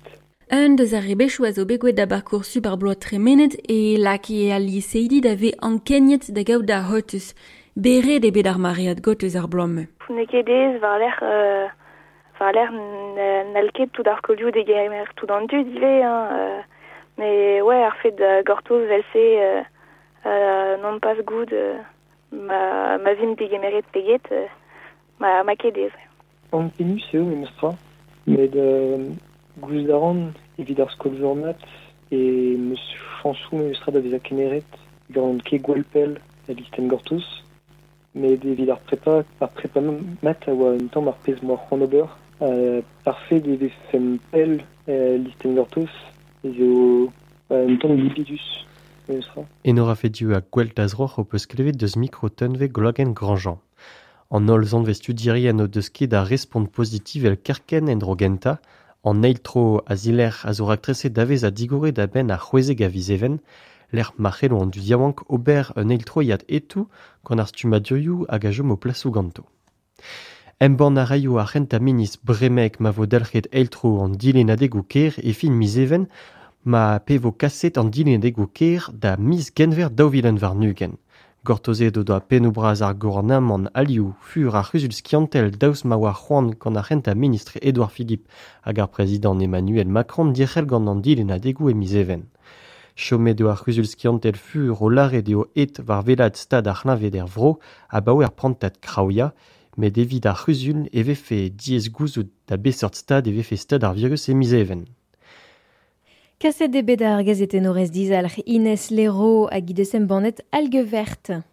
Un deus ar rebechoù a zo bet gwelet da Parcoursup ar bloaz tremenet e lakae al liseidi da vez ankeniet da gaout da hotuz. Beret eo bet ar maread got eus ar bloaz-mañ. N'eo ket aes war-lerc'h euh, war-lerc'h n'hall ket tout ar skolioù degemer tout an dud ivez hein, euh, mais ouais ar fet da gortoz vel-se euh, euh, non pas goût euh, ma, ma vim degemeret peget euh, ma, ma ket aes. Ankenius eo memestra, met euh, gouzout a ran evit ar skol-veur mat e meus chañsoù memestra da vezañ kemeret gant ket gwall pell al listenn gortoz. Met evit ar prepa, ar prepa mat a oa un tamm ar pezh m'oa c'hoant ober. Euh, parfait e vefen pell euh, listenn gortoz ez eo un tamm libidus memestra. Enora Fedio ha Gweltaz Roc'h o peus klevet deus mikro Tunve Gloagen Grandjean. An holl zanvez studierien o deus ket a respont pozitivel kerkent en-dro gentañ, an eil tro a zilerc'h a zo raktreset da vez a digoret da benn ar c'hwezek a viz Even, lec'h ma c'hello an dud yaouank ober un eil troiad etoù gant ar stummadurioù hag a chom o plasoù ganto. Embann a raio ar c'hentañ ministr bremek ma vo dalc'het eil tro an dilennadegoù kêr e fin miz Even, ma pe vo kaset an dilennadegoù kêr da miz Genver daou vil un warn-ugent. Gortozet o doa pennoù bras ar gouarnamant alioù fur ar c'huzul skiantel daoust ma oa c'hoant gant ar c'hentañ ministr Édouard Philippe hag ar prezidant Emmanuel Macron dic'hell gant an dilennadegoù e miz Even. Chomet eo ar c'huzul skiantel fur o lâret eo aet war wellaat stad ar c'hleñved er vro abaoe ar prantad kraouiañ, met evit ar c'huzul e vefe diaes gouzout da beseurt stad e vefe stad ar virus e miz Even. Kaset eo bet ar gazetennourez dizalc'h Inès Léraud hag he deus embannet Algue verte.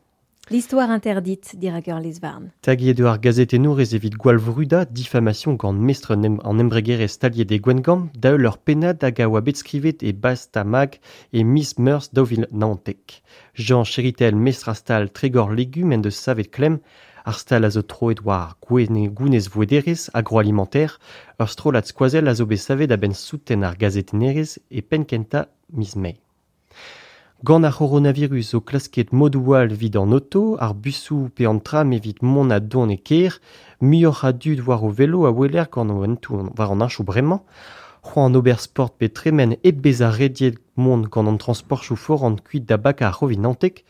L'histoire interdite dirak ur lez-varn. Taget eo ar gazetennourez evit gwall vrudañ diffamation gant mestr an embregerezh staliet e Gwengamp da heul ur pennad hag a oa bet skrivet e Basta-Mag e miz Meurzh daou vil naontek. Jean Chéritel, mestr a stal Trégor Légumes en deus savet klemm Ar stal a zo troet war gounez vouederez agroalimentaire, ur strollad skoazell a zo bet savet a-benn souten ar gazetennerez e penn-kentañ miz Mae. Gant ar c'horonavirus zo klasket modoù all evit an oto, ar busoù pe an tram evit mont a don e kêr, muioc'h a dud war o velo a weler gant o hentoù war an henchoù bremañ, c'hoant an ober sport pe tremen hep bezañ rediet mont gant an transportioù foran kuit da bakañ ar C'hovid naontek,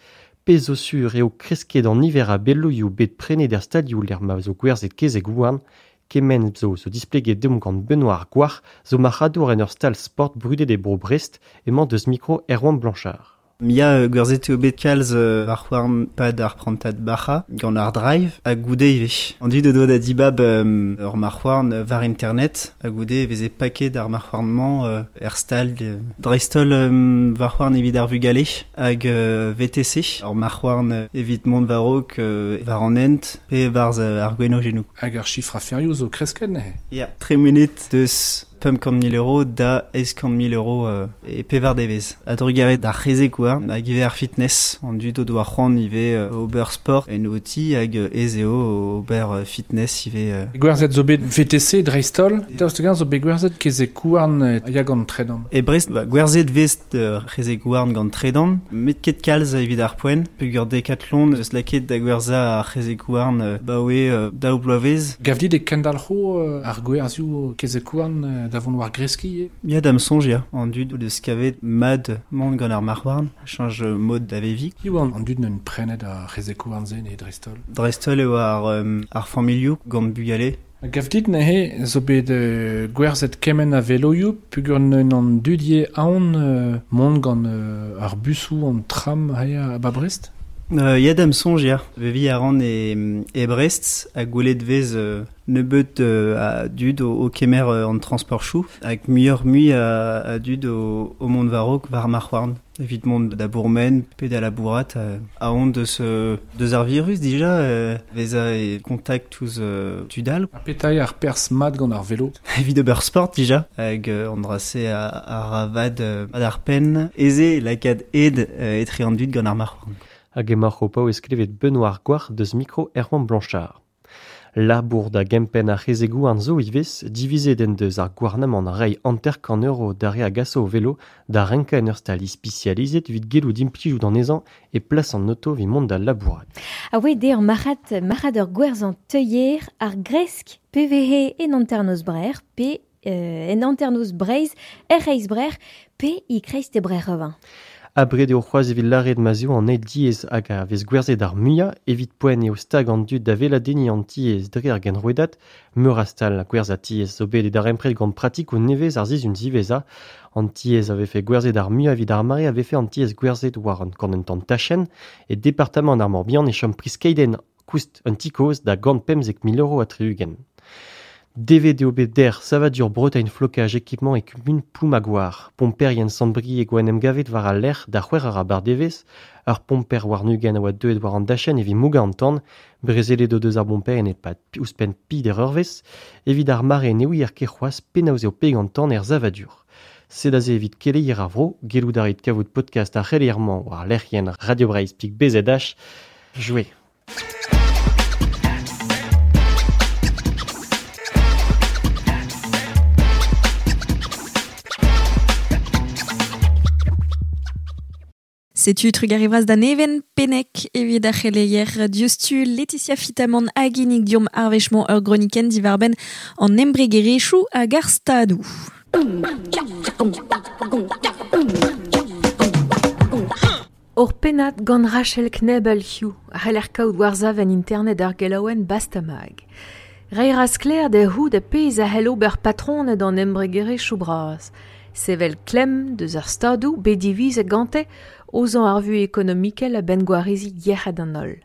pezh zo sur eo kresket an niver a beloioù bet prenet er stalioù lec'h ma zo gwerzhet kezeg-houarn, kement zo zo displeget deomp gant Benoît ar Gwar, zo marc'hadour en ur stal sport brudet e bro Brest, emañ deus mikro Erwan Blanchard. Mia gwerzhet eo bet kalz war c'houarn pad ar prantad bac'ha gant ar drive ha goude ivez. An dud o doa da dibab um, ur marc'houarn war internet ha goude e veze paket ar marc'houarn-mañ uh, er stal uh, dreist-holl um, war c'houarn evit ar vugale hag uh, V T C ur marc'houarn evit mont war-raok uh, war an hent pe war uh, ar gwenojennoù. Hag ar chifr aferioù zo kresket neuze? Ya, tre munut deus pemp kant mil euro da eizh kant mil euro euh, e pevar devez. A drugarez d'ar c'hezeg-houarn hag ivez ar fitness. An dud o doa c'hoant ivez euh, ober sport en o ti hag ez eo ober fitness ivez. Euh. Gwerzhet zo bet V T C dreist-holl, daoust hag-eñ zo bet gwerzhet kezeg-houarn ya gant tredan. E Brest, ba, gwerzhet vez euh, c'hezeg-houarn gant tredan, met ket kalz evit ar poent, peogwir Decathlon eus lakaet da gwerzhañ ar c'hezeg-houarn euh, baoe euh, daou bloavezh. Gav dit e kendalc'ho euh, ar gwerzhioù kezeg-houarn euh, da vont war greskiñ Ya da'm soñj ya, an dud deus kavet mad mont gant ar marc'houarn, chañj mod da veviñ. Piv an, an dud n'en prenet ar c'hezeg-houarn-se ne dreist-holl? Dreist-holl eo ar, um, ar familhoù gant bugale. Gav dit neuze zo bet euh, gwerzhet kement a veloioù peogwir n'en an dud ivez aon euh, mont gant euh, ar busoù an tram ha a ba Brest? Euh, ya da'm soñj ya, veviñ a ran e, e Brest ha gwelet vez euh, nebeut euh, a dud o, o kemer euh, an transportioù hag muioc'h mui a, a dud o, o mont war-raok war marc'houarn. Evit mont da bourmen pe da labourat euh, a-hont deus, euh, deus ar virus dija euh, vezañ e kontakt ouzh euh, tud all. Ha petra ar perzh mat gant ar velo? Evit ober sport dija hag euh, an dra-se a, a ra vad euh, ar penn eze lakaat ed euh, etre an dud gant ar marc'houarn. Hag emaoc'h o paouez klevet Benoît ar Gwar deus mikro Erwan Blanchard. Labour da gempenn ar c'hezeg-houarn zo ivez, divizet en deus ar gouarnamant reiñ hanter-kant euro d'ar re a gaso o velo da renkañ en ur stal ispisializet evit gellout implijout anezhañ e plas an oto evit mont da labourat. A oe de ur marc'had, marc'had ur gwerzhañ teuier ar gresk P V H en hanternoz Brer pe euh, en hanternoz Breizh er reizh Brer pe e kreiz te Brer revin. Abred eo c'hoazh evit lâret ma z'eo an eil diez hag a vez gwerzhet ar muiañ, evit poent eo stag an dud da weladenniñ an tiez dre ar genrouedad, meur a stal gwerzhañ tiez zo bet e darempred gant pratikoù nevez ar sizhun ziwezhañ. An tiez a vefe gwerzhet ar muiañ evit ar mare a vefe an tiez gwerzhet war an gant un tamm tachenn e departamant ar Morbihan e chom priz keidenn koust un ti kozh da gant pemzek mil euro ha tri-ugent. Devet eo bet der savadur Bretagne flocage équipement e kumun Ploumagoar. Pomperien Sant-Brieg oa en em gavet war al lec'h da c'hwec'h ar abardevezh, ur pomper war-nugenn a oa deuet war an dachenn evit mougañ an tan, brezelet o deus ar bomperien e-pad ouzhpenn peder eurvezh, evit ar mare ne ouier ket c'hoazh penaos eo peg an tan er savadur. Sed aze evit keleier ar vro, gellout a rit kavout podcast ar c'heleier-mañ war lec'hienn Radio Breizh pik B Z H. Jouer. Setu trugarez da Neven Penek evit ar c'heleier diouzhtu Laetitia Fitamant hag Inig Diom ar wech-mañ ur gronikenn diwar-benn an embregerezhioù hag ar stadoù. Ur pennad gant Rachel Knebel hiziv a c'heller kaout war-sav en internet ar gelaouenn Bastamag. Reiñ a ra sklaer da c'hoût a pezh a c'hell ober patroned an embregerezhioù bras. Sevel klemm deus ar stadoù bet divizet gante ozañ ar vuhez ekonomikel a-benn gwareziñ yec'hed an holl.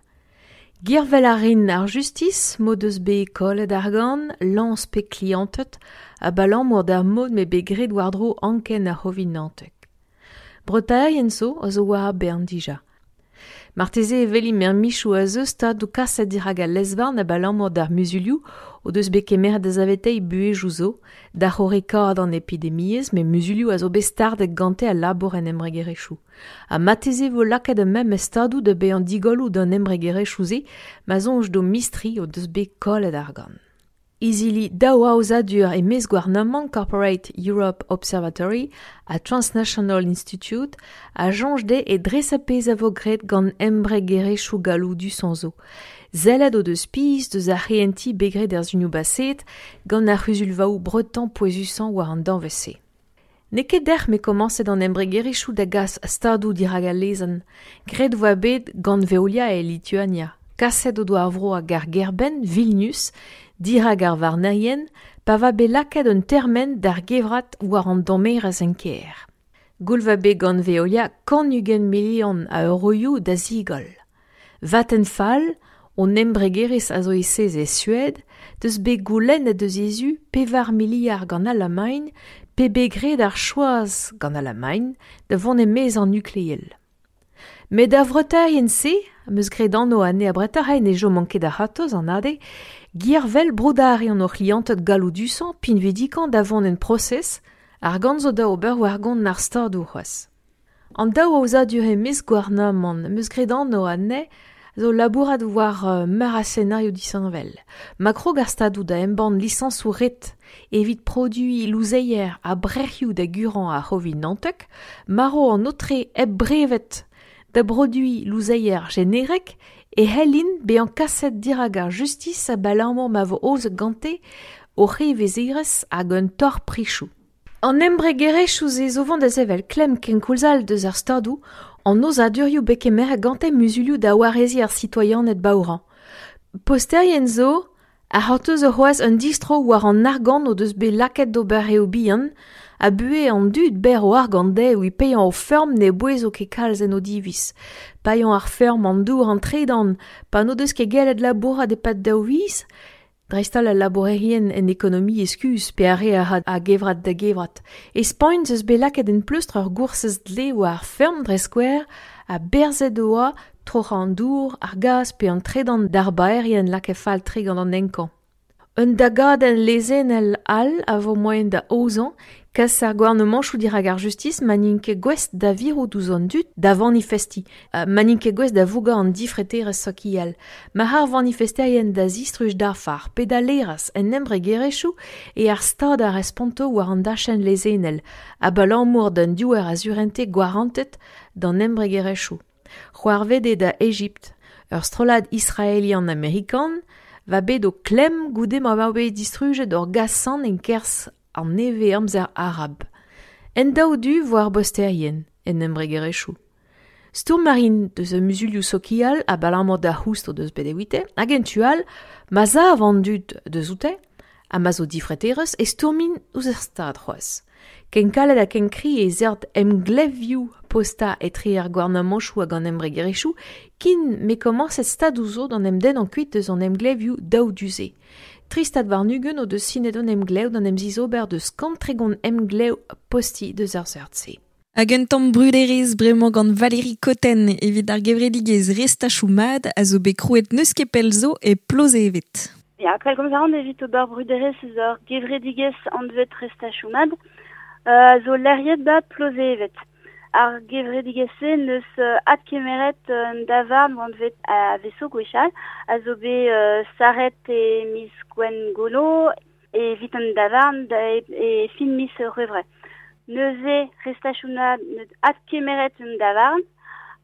Girvel a rin ar justis m'o deus bet kollet argant, lañs pe klianted, abalamour d'ar mod m'eo bet graet war-dro anken ar c'hovid naontek. Breutaerien zo a zo war ar bern dija. Marteze e veli mer michou a zeus stadou kaset dirag al lezvarn a balamour d'ar muzulioù o deus bet kemeret da zavetei buezhioù zo, da c'horekaat an epidemiezh, met muzulioù a zo bet stardet gante al labour en embregerezhioù. Ha marteze vo lakaet ar memes stadoù da bezañ digolloù d'an embregerezhioù-se, ma soñj d'o mistri o deus bet kollet argant. Izili daou aozadur e-maez gouarnamant Corporate Europe Observatory ha Transnational Institute a soñj dezhe e dres ar pezh a vo graet gant embregerezhioù galloudus zo. Sellet o deus pizh deus ar c'hehentiñ bet graet er sunioù baset gant ar c'huzulvaoù breton pouezusañ war an danvez-se. N'eo ket dec'h met komañset an embregerezhioù da gas stadoù dirak al lezenn. Graet 'voa bet gant Veolia e Lituania. Kaset o doa ar vro hag ar gêr-benn, Vilnius, dirak ar varnerien, pa va bet lakaet un termen d'ar gevrat war an dommerezh en kêr. Goull va bet gant Veolia kant ugent milion a euroioù da zigoll. Vattenfall, on embregerezh a zo e sez e Sued, deus bet goulennet deus he zu pevar miliard gant Alamagn, pe bet graet ar choaz gant Alamagn da vont e-maez an nukleel. Met ar vreutaerien-se, am eus graet anv anezhe abretoc'h ne chomont ket a-ratozh an ade, gervel broudañ an o c'hlianted galloudusañ pinvidikañ da vont en prosez, argant zo da ober war gont ar stadoù c'hoazh. An daou aozadur e-maez gouarnamant, am eus graet anv anezhe, zo labourat war uh, meur a senario disheñvel. Ma krog ar stadoù da embann lisañsoù ret evit produiñ louzeier ha brec'hioù da gurañ ar C'hovid naontek, marv an aotre hep brevet da broduiñ louzeier jenerek e c'hellint bezañ kaset dirak ar justis abalamour ma vo aozet gante o c'hevezerezh hag un torr prichoù. An embregerezhioù-se zo vont da sevel klemm kenkoulz all deus ar stadoù an aozadurioù bet kemeret gante muzulioù da wareziñ ar sitoaianed baourañ. Posterien zo a c'hortoz c'hoazh un distro war an argant o deus bet lakaet d'ober eo bihan, a buhez an dud berr o argant dezhe evit paeañ o feurm ne bouezo ket kalz en o diviz. Paeañ ar feurm an dour an tredan, pa n'o deus ket gellet labourat e-pad daou viz, dreist-holl al labourerien en ekonomiezh kuzh pe ar re a ra a gevrat da gevrat. E Spagn eus bet lakaet en pleustr ur goursez dle war ar feurm dre skouer ha berzet oa troc'hañ an dour, ar gaz pe an tredan d'ar baerien lakaet fall-tre gant an enkañ. Un dagadenn lezennel all a vo moaien da aozañ kas ar gouarnamantoù dirak ar justis ma n'int ket gouest da virout ouzh an dud da vanifestiñ, ma n'int ket gouest da vougañ an difreterezh sokial. Ma ar vanifesterien da zistruj dafar pe da laerezh en embregerezhioù e ar stad a responto war an dachenn lezennel, abalamour d'an diouer a surente gwarantet d'an embregerezhioù. C'hoarvet eo da Egipt, ur strollad israelian-amerikan, va bet o klemm goude ma oa bet distrujet ur gasan en kerzh an nevez amzer arab. En daou du vo ar bosterien, en embregerezhioù. Stourm a rin deus ar muzulioù sokial abalamour d'ar c'houst o deus bet evite, hag en tu all, ma sav an dud deus oute, ha ma zo difreterezh e stourmin ouzh ar stad c'hoazh. Ken kalet ha ken kri e seurt emglevioù postañ etre ar gouarnamantoù hag an embregerezhioù kin me komañset stadoù zo d'an emdennañ kuit deus an emglevioù daou du-se. Tri stad warn-ugent o deus sinet an emglev d'an emzizober deus kant tregont emglev postiñ deus ar seurt-se. Hag un tamm bruderezh bremañ gant Valérie Cotten evit ar gevredigezh Restachoù Mat a zo bet krouet n'eus ket pell zo e Plozeved. Ya, pellgomz a ran evit ober bruderezh eus ur gevredigezh anvet Restachoù Mat a zo lec'hiet ba Plozeved. Ar gevredigezh-se neus adkemeret un davarn anvet a veso gwechall, a zo bet uh, saret e miz Gwengolo evit an davarn da, e, e fin miz C'hwevrer. Neuze Restachoù Mat neus adkemeret un davarn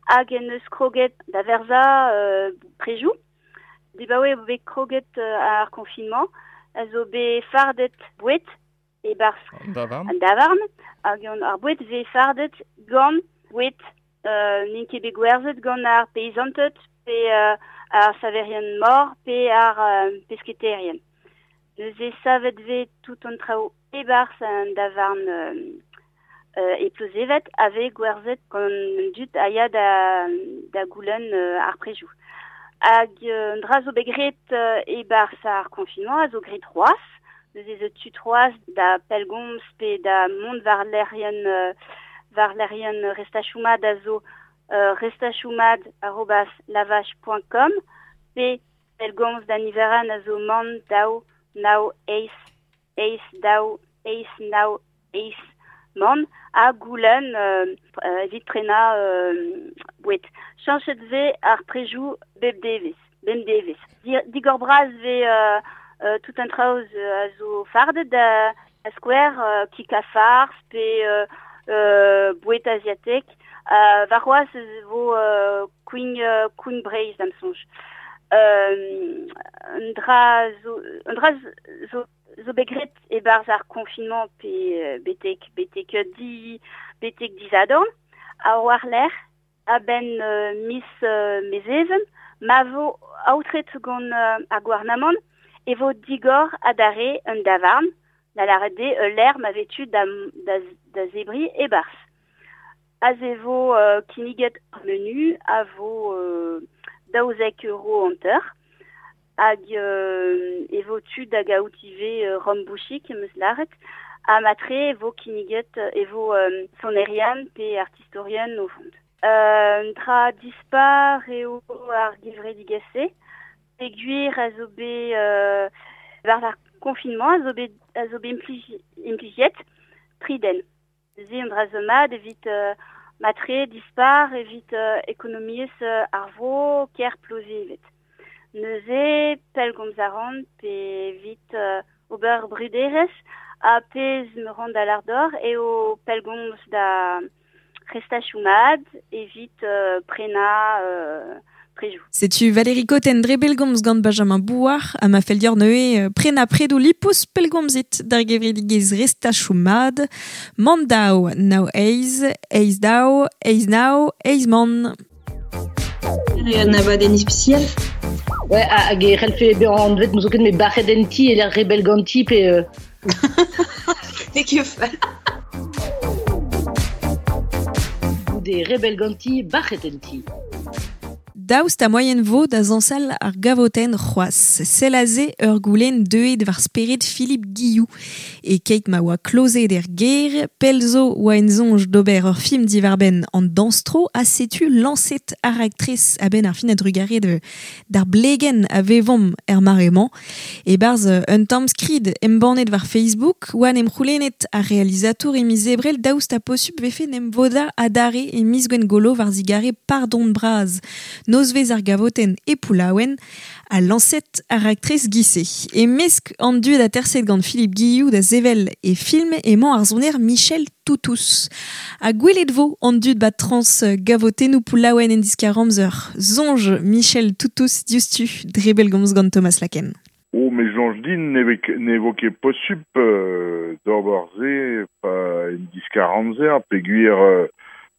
hag en neus kroget da verzañ uh, prejoù. Dibaoe eo bet kroget uh, ar confinement, a zo bet fardet boued e barzh An davarn. An davarn, hag an ar boued vez fardet gant boued euh, n'int ket bet gwerzhet gant ar peizanted pe euh, ar saverien mor pe ar euh, pesketerien. Neuze savet vez tout an traoù e barzh an davarn euh, euh, e Plozeved a vez gwerzhet gant an dud a ya da, da goulenn euh, ar prejoù. Hag euh, an dra zo bet graet euh, e barzh ar confinement a zo graet c'hoazh. Neuze zo tu c'hoazh da pellgomz pe da mont war lec'hienn euh, war lec'hienn Restachoù Mat a zo euh, restachoumad arobase lavache point com pe pellgomz da niveran a zo man daou nao eiz eiz daou eiz nao eiz man ha goulenn euh, euh, evit prenañ euh, boued. Chañchet vez ar prejoù bep devezh, bem devezh. Digor bras vez euh, euh, tout un traoz a zo fardet da, da skouer euh, kik a farz pe euh, euh, boued asiatek. Euh, Warc'hoazh vo euh, Queen, euh, Queen Breizh da'm soñj. Euh, un dra zo, un dra zo, zo bet graet e-barzh ar confinement pe betek, betek di, betek disadorn, a war-lerc'h a-benn euh, miz euh, Mezheven, ma vo aotret gant euh, ar gouarnamant e vo digor adarre un davarn, da lâret eo ul lec'h ma vez tu da, da, da zebriñ e-barzh. Aze vo euh, kinniget ar menu a vo euh, daouzek euro hanter, hag euh, e vo tu da gaout ivez euh, rom bouchik em eus lâret, ha matre e vo kinniget e vo euh, sonerian pe artistorien o vont. Euh, un dra dispar eo ar gevredigezh-se, peogwir a zo bet euh, war ar confinement a zo bet, a zo bet implij, implijet tri den. Se un dra zo mat evit euh, matre dispar evit euh, ekonomiezh euh, ar vro ker Plozévet. Neuze pellgomz a ran pe evit euh, ober bruderezh ha pezh me ran da lardor eo pellgomz da restachoù-mat evit euh, prenañ euh, prejoù. Setu Valérie Cotten dre bellgomz gant Benjamin Bouard ha ma fell deoc'h neuze prenañ predoù lipous pellgomzit d'ar gevredigezh restachoù-mat man daou nao eiz, eiz daou, eiz nao, eiz man. Un abadenn ispisial? Ouais, hag e c'hellfe bezañ anvet n'ouzon ket me bac'het en ti e lec'h rebell ganti pe... Euh... N'eo ket fall. Goude rebell ganti, bac'het en ti. Daoust ha moaien vo da zañsal ar gavotenn c'hoazh. Sell aze ur goulenn deuet war spered Philippe Guillou. E keit ma oa klozet er gêr, pell zo oa en soñj d'ober ur film diwar-benn an dañs-tro ha setu lañset ar raktres a-benn ar fin a-drugarez de d'ar blegenn a vevomp er mare-mañ. E-barzh un tamm skrid embannet war Facebook oa en em c'houlennet ar realizatour e miz Ebrel daoust ha posupl vefe n'em vodañ adarre e miz Gwengolo war zigare pardon bras. Nozvezh ar gavotenn e Poullaouen a lañset ar raktres gise. E mesk an dud aterset gant Philippe Guillou da sevel e film emañ ar soner Michel Toutous. Ha gwelet vo an dud bat trans gavotennoù Poullaouen en diskar amzer. Soñj Michel Toutous diouzhtu dre bellgomz gant Thomas Laken. Oh, mais soñj din ne vo ket posupl euh, d'ober se pa en diskar amzer peogwir euh,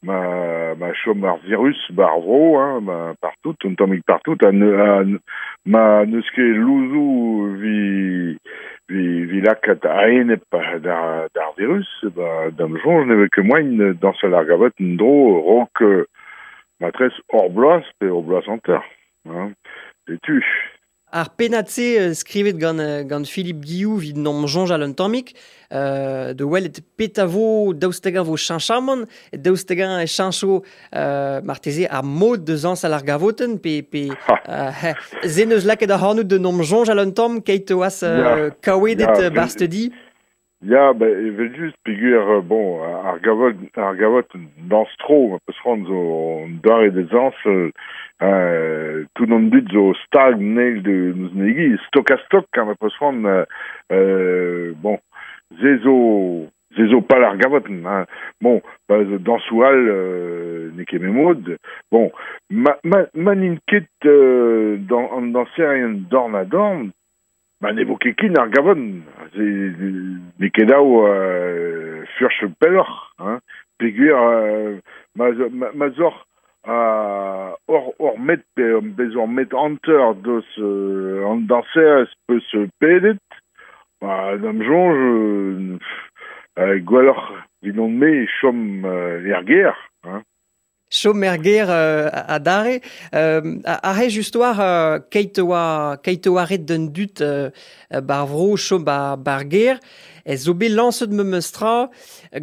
ma ma chom ar virus bar vro hein, ma partout un tammig partout ha ne, ha, ma n'eus ket louzoù vi vi vi lakaat a-enep d'ar d'ar virus ba da'm soñj ne vez ket moaien dañsal ar gavotenn en-dro raok matrez hor bloaz pe hor bloaz hanter hein, setu. Ar pennad-se skrivet gant, gant Philippe Guillou vid n'am soñjal un tammig, euh, de welet petra vo daoust hag-eñ vo cheñchamant, daoust hag-eñ e cheñcho euh, marteze ar mod de zañsal ar gavotenn pe, pe euh, se neus lakaet ac'hanout de n'am soñjal un tamm keit oas euh, kaouedet yeah, barzh te di. Ya, ba, evel-just, peogwir, bon, ar gavot, ar gavotenn dañs-tro, ma peus c'hoant zo an doare da zañsal, euh, tout an dud zo stag neil de n'eus negi, stok ha stok, ha ma peus c'hoant, euh, bon, se zo, se zo pal ar gavotenn, hein. Bon, ba, dañsoù all, euh, n'eo ket memod, bon, ma, ma, ma n'int ket euh, dan, an dañserien dorn ha dorn, ma ne vo ket kin ar gavotenn, n'eo ket dav euh, furch pelloc'h, hein, peogwir euh, ma, ma, ma zoc'h euh, hor, hor met pe bez hor met hanter deus euh, an dañserez peus pedet, ba, da'm soñj euh, euh, gwelloc'h evidon-me chom euh, er gêr, hein. Chom er ger euh, a dare. Euh, a, a just war euh, keit oa, keit oa ret d'un dut euh, bar vro chom bar, bar ger. E zo bet lañset memestra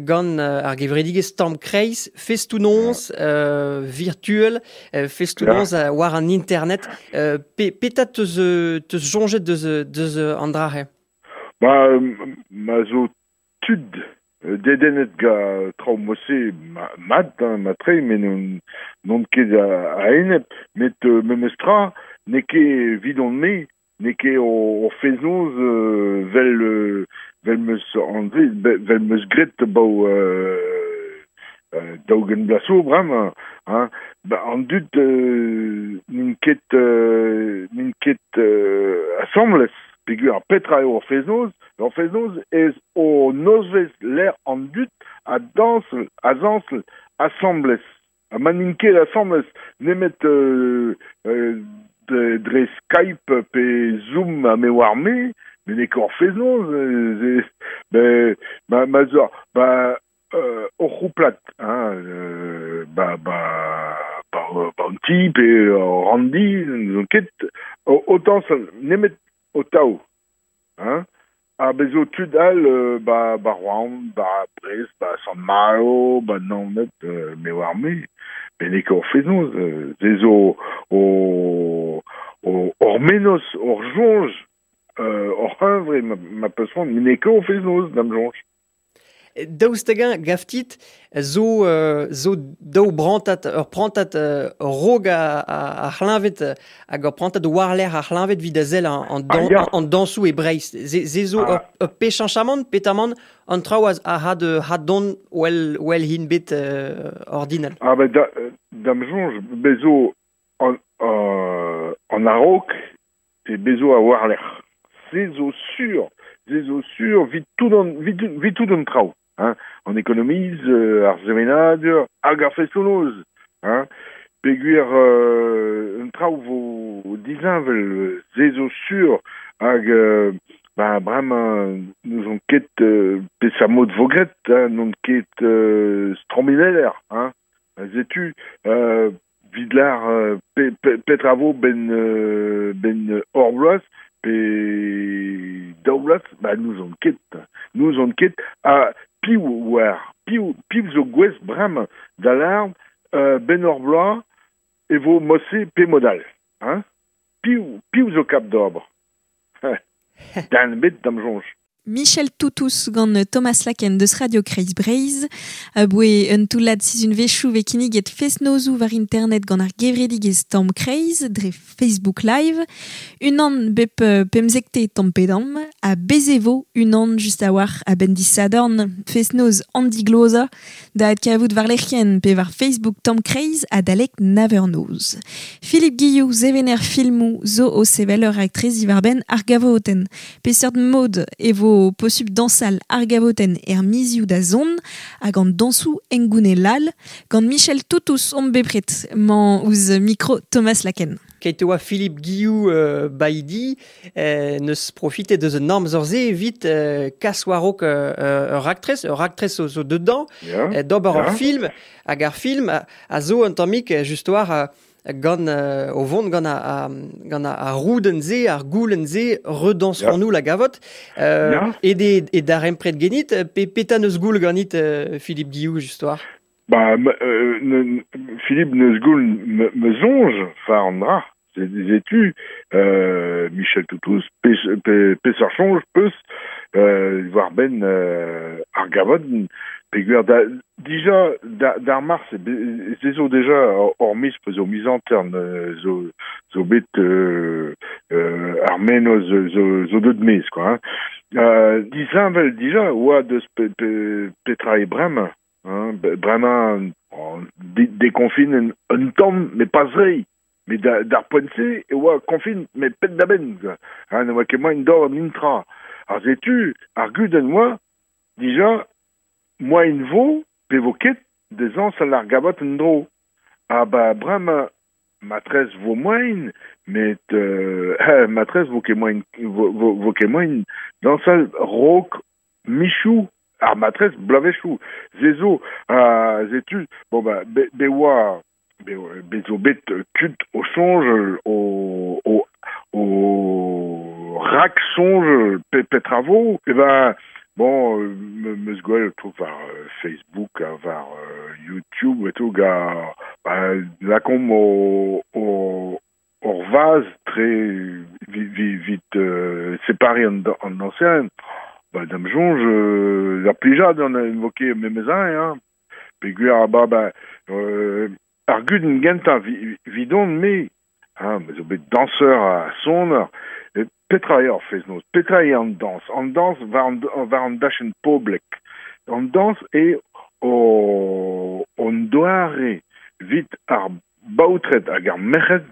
gant euh, ar gevredigezh Tamm Kreiz, festoù-noz euh, virtuel, euh, festoù-noz yeah. war an internet. Euh, pe, petra teus, teus soñjet deus, deus an dra-se? Ba, ma zo tud dedennet ga traoù mose ma, mat, hein, matre, met non, non ket a, a enep, met euh, memestra, n'eo ket vidon-me, n'eo ket o, o feznoz euh, vel, euh, vel meus anve, vel meus gret bau euh, euh, daougen blaso bremañ, hein. Ba, an dud euh, n'int ket, euh, n'int ket euh, asambles, peogwir ar petra eo ar feznoz, ar feznoz ez o nozvez l'air an dud a dañsel, a zañsel, asambles. Ha ma n'int ket asambles nemet euh, euh, dre, dre Skype pe Zoom a me war me, met n'eo ket ar feznoz, euh, ben, ma, ma zo, ba, euh, ur c'houplad, hein, euh, ba, ba, ba, ba an ti pe ur randi, n'eus ket, autant nemet o taou, hein. Ha bezo tud all euh, ba, ba Rouen, ba Brest, ba Sant-Malo, ba Naoned, euh, me war me, met n'eo ket ur feznoz, euh, ze zo o, o, ur menoz, ur soñj, euh, ur hunvre ma, ma peus c'hoant, met n'eo ket ur feznoz da'm soñj. Daoust hag-eñ gaftit zo, euh, zo daou brantad, ur prantad euh, rog a, a, a c'hleñved hag ur prantad war-lerc'h ar c'hleñved evit a sell an, an, dan, ah, ya. an dañsoù e Breizh. Ze, ze zo ah. ur, ur pe cheñchamant, petamant an traoù a, a had, had don well, well hin bet euh, ordinal. Ah ben da, da'm soñj bezo an, euh, an a-raok e bezo a war-lerc'h. Se zo sur, se zo sur vit tout an, vit, vit tout an traoù. Hein, an ekonomiz, euh, ar sevenadur, hag ar festoù-noz, hein, peogwir euh, un traoù vo disheñvel, se zo sur, hag euh, ba, bremañ n'ouzon ket euh, peseurt mod vo graet, hein, n'on ket euh, strommineller, hein, setu, euh, vid lar euh, pe, pe, petra vo ben, euh, ben hor bloaz, pe daou bloaz, ba n'ouzon ket, n'ouzon ket, ha piv war, piv, piv zo gouest bremañ da lâr euh, ben hor bloaz e vo mose pe modal, hein? Piv, piv zo kap d'ober. Dan bet da'm soñj. Michel Toutous gant Thomas Laken deus Radio Kreiz Breizh. Aboe un toullad sizhunvezhioù vez kinniget fest-nozoù war internet gant ar gevredigezh Tamm Kreiz dre Facebook Live. Unan bep pemzekte tamm pe damm ha bez e vo unan just a-walc'h a-benn disadorn fest-noz an diglozañ da adkavout war lec'hienn pe war Facebook Tamm Kreiz adalek nav eur noz. Philippe Guillou, sevener filmoù zo o sevel ur raktres diwar-benn ar gavotenn. Peseurt mod e vo posupl dañsal ar gavotenn er mizioù da zont hag an dañsoù hengounel gant Michel Toutous omp bepred mañ ouzh mikro Thomas Laken. Keit oa Philippe Guillou euh, baidi euh, neus profitet deus an amzer-se evit euh, kas war-raok euh, ur raktres, ur raktres zo, zo dedans, yeah. euh, d'ober yeah. ur film, hag ar film a, a zo un tammig just war euh, gant euh, o vont gant a, a, gant a, a roudenn-se, ar goulenn-se, redañserons-nous la gavotte, euh, yeah. e de, e darempred genit, pe petra neus goul ganit euh, Philippe Guillou just war? Ba, euh, ne, Philippe neus goul me, me soñj fa an dra. Setu, euh, Michel Toutous, pe, pe, peseurt soñj peus, euh, war ben euh, ar gavotenn, peogwir da, dija da, d'ar mars, se zo deja hor miz pe zo miz antern, zo, zo bet euh, euh, ar menoz zo, zo, zo deut mez, quoi, hein. Euh, disheñvel dija oa deus pe, pe, petra e bremañ, hein, bremañ dé, déconfine un, un tamm, mais pas re. Mais da, d'ar poent-se e oa konfin, met penn da benn, quoi. Hein, ne oa ket moaien d'ober an intra. Ar setu, ar gudenn oa, dija, moaien vo, pe vo ket, dezañ sal ar gavot en dro. Ha ba bremañ, matrez vo moaien, met euh, matrez vo ket moaien, vo, vo, vo ket moaien dañsal rok michou Ar matrez blavechou. Zezo, uh, zetu, bon ba, be, be oa, be, be zo bet tud o sonj, o, o, o rak sonj pe, petravo, e ben, bon, me, meus gwell tout war Facebook, war YouTube et tout, ga, ba, lakomp o, o, or vaz tre vite vi, vit, euh, séparé en, en ancien, ba, dam jonge, euh, la plijad an a invoqué memezan, hein. Peguer, ba, ba, euh, ar guden genta vi, vidon me, hein, me zo bet danseur a sonner, petra eo ar fez-noz, petra eo an dans, an dans war an, war an dachen poblek, an dans e o, on doare vit ar baotret hag ar merc'hed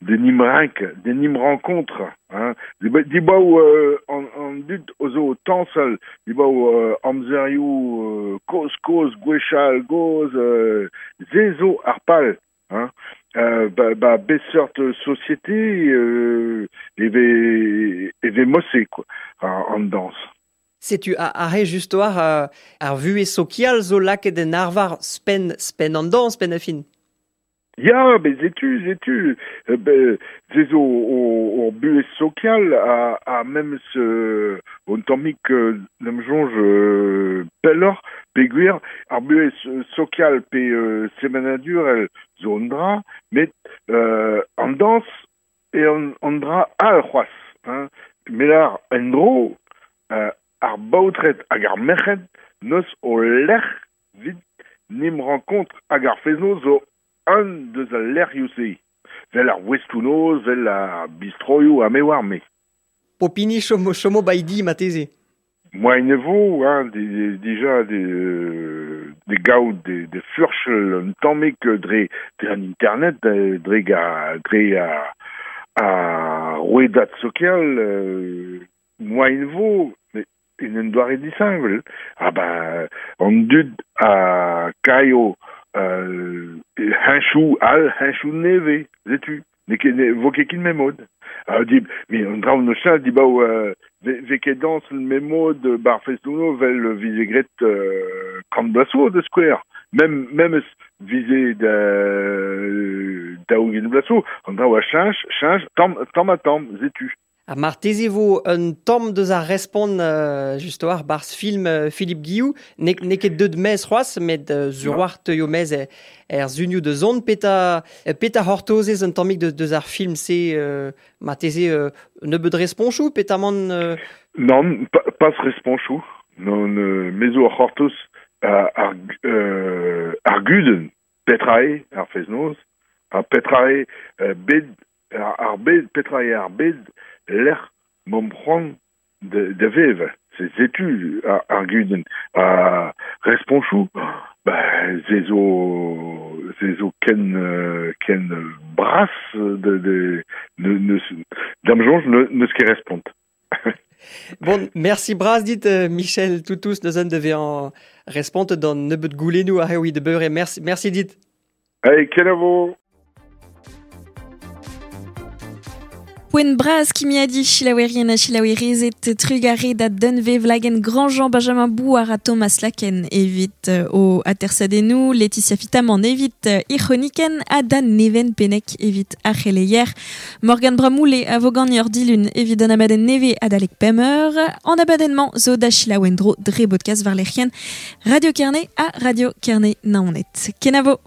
de nim renk, de nim rencontre, hein. Di baou euh, an, an dud ozo tansel, di baou euh, amzerioù euh, koz koz gwechal goz, euh, zezo ar pal, hein. Euh, ba, ba beseurt société euh, eve, eve mosse, quoi, en, en danse. Setu a arre just war uh, ar vue sokial zo laket en arvar spen, spen an dans, spen a fin. Ya, be zetu, zetu, be, zezo o, o buez sokial a, a memes euh, on tammik euh, n'am jonge euh, pelloc'h peogwir ar buez sokial pe euh, semenadur zo an dra, met euh, an dans e an, an dra al c'hoaz, hein. Met ar en dro euh, ar baotred hag ar merc'hed neus o lec'h vit nim rencontre hag ar fez-noz zo un deus al lec'hioù-se. Vel ar Westounoz, vel ar bistroioù ha me war me. Popini chomo, chomo baidi mateze. Moain e vo, hein, de, de, dija de, de gaout de, de furchel un tammik dre, dre an internet, dre ga, dre a, a rouedat sokial, euh, moain vo, mais en un doare disheñvel. Ah ba, an dud a kaio euh, henchou al, henchou neve, zetu. Ne ket, ne vo ket kin memod. Ah, di, mi an draoù no chal, di baou, euh, ve, ve ket dans le memod bar festouno vel vize gret euh, kant blaso de square. Même, même vize da, daou gen blaso, an draoù a chanch, chanch, tamm, tamm a tamm, zetu. Ha marteze vo un tamm deus ar respont euh, just war barz film euh, Philippe Guillou, ne, ne ket deud mez c'hoaz, met euh, zur war teuio mez er, er zunioù de zon, peta, peta hortozez un tammik deus, deus ar film se euh, marteze euh, nebeud responchou, peta man... Euh... Non, pa, pas responchou. Non, euh, mezo ar c'hortoz ar, euh, ar guden, petra eo ar fez-noz, ar petra eo euh, bed, ar, ar bed, petra eo ar bed, l'er mom c'hoant de, de vev, se zetu ar, ar guden, a responchou, ba, ze zo, ze zo ken, ken bras de, de, ne, ne, dam jonge ne, neus ket respont. Bon, merci bras dit euh, Michel Toutous, neus an devez en respont d'an nebeud goulennoù ar eoui de beure. Merci, merci dit. Allez, kenavo. Poen braz kimiadi chilaouerien ha chilaouerezet trugare da dunve vlagen Grandjean Benjamin Bouar a Thomas Laken evit euh, o atersadenou, Laetitia Fitamant evit euh, Ironiken ha Dan Neven Penek evit ar c'heleier, Morgan Bramoule a vogan ur dilun evit an abadenn neve adalek pemeur, an abadenn-mañ zo da chilaouendro dre bodkast war lec'hienn Radio Kerne ha Radio Kerne Naoned. Kenavo!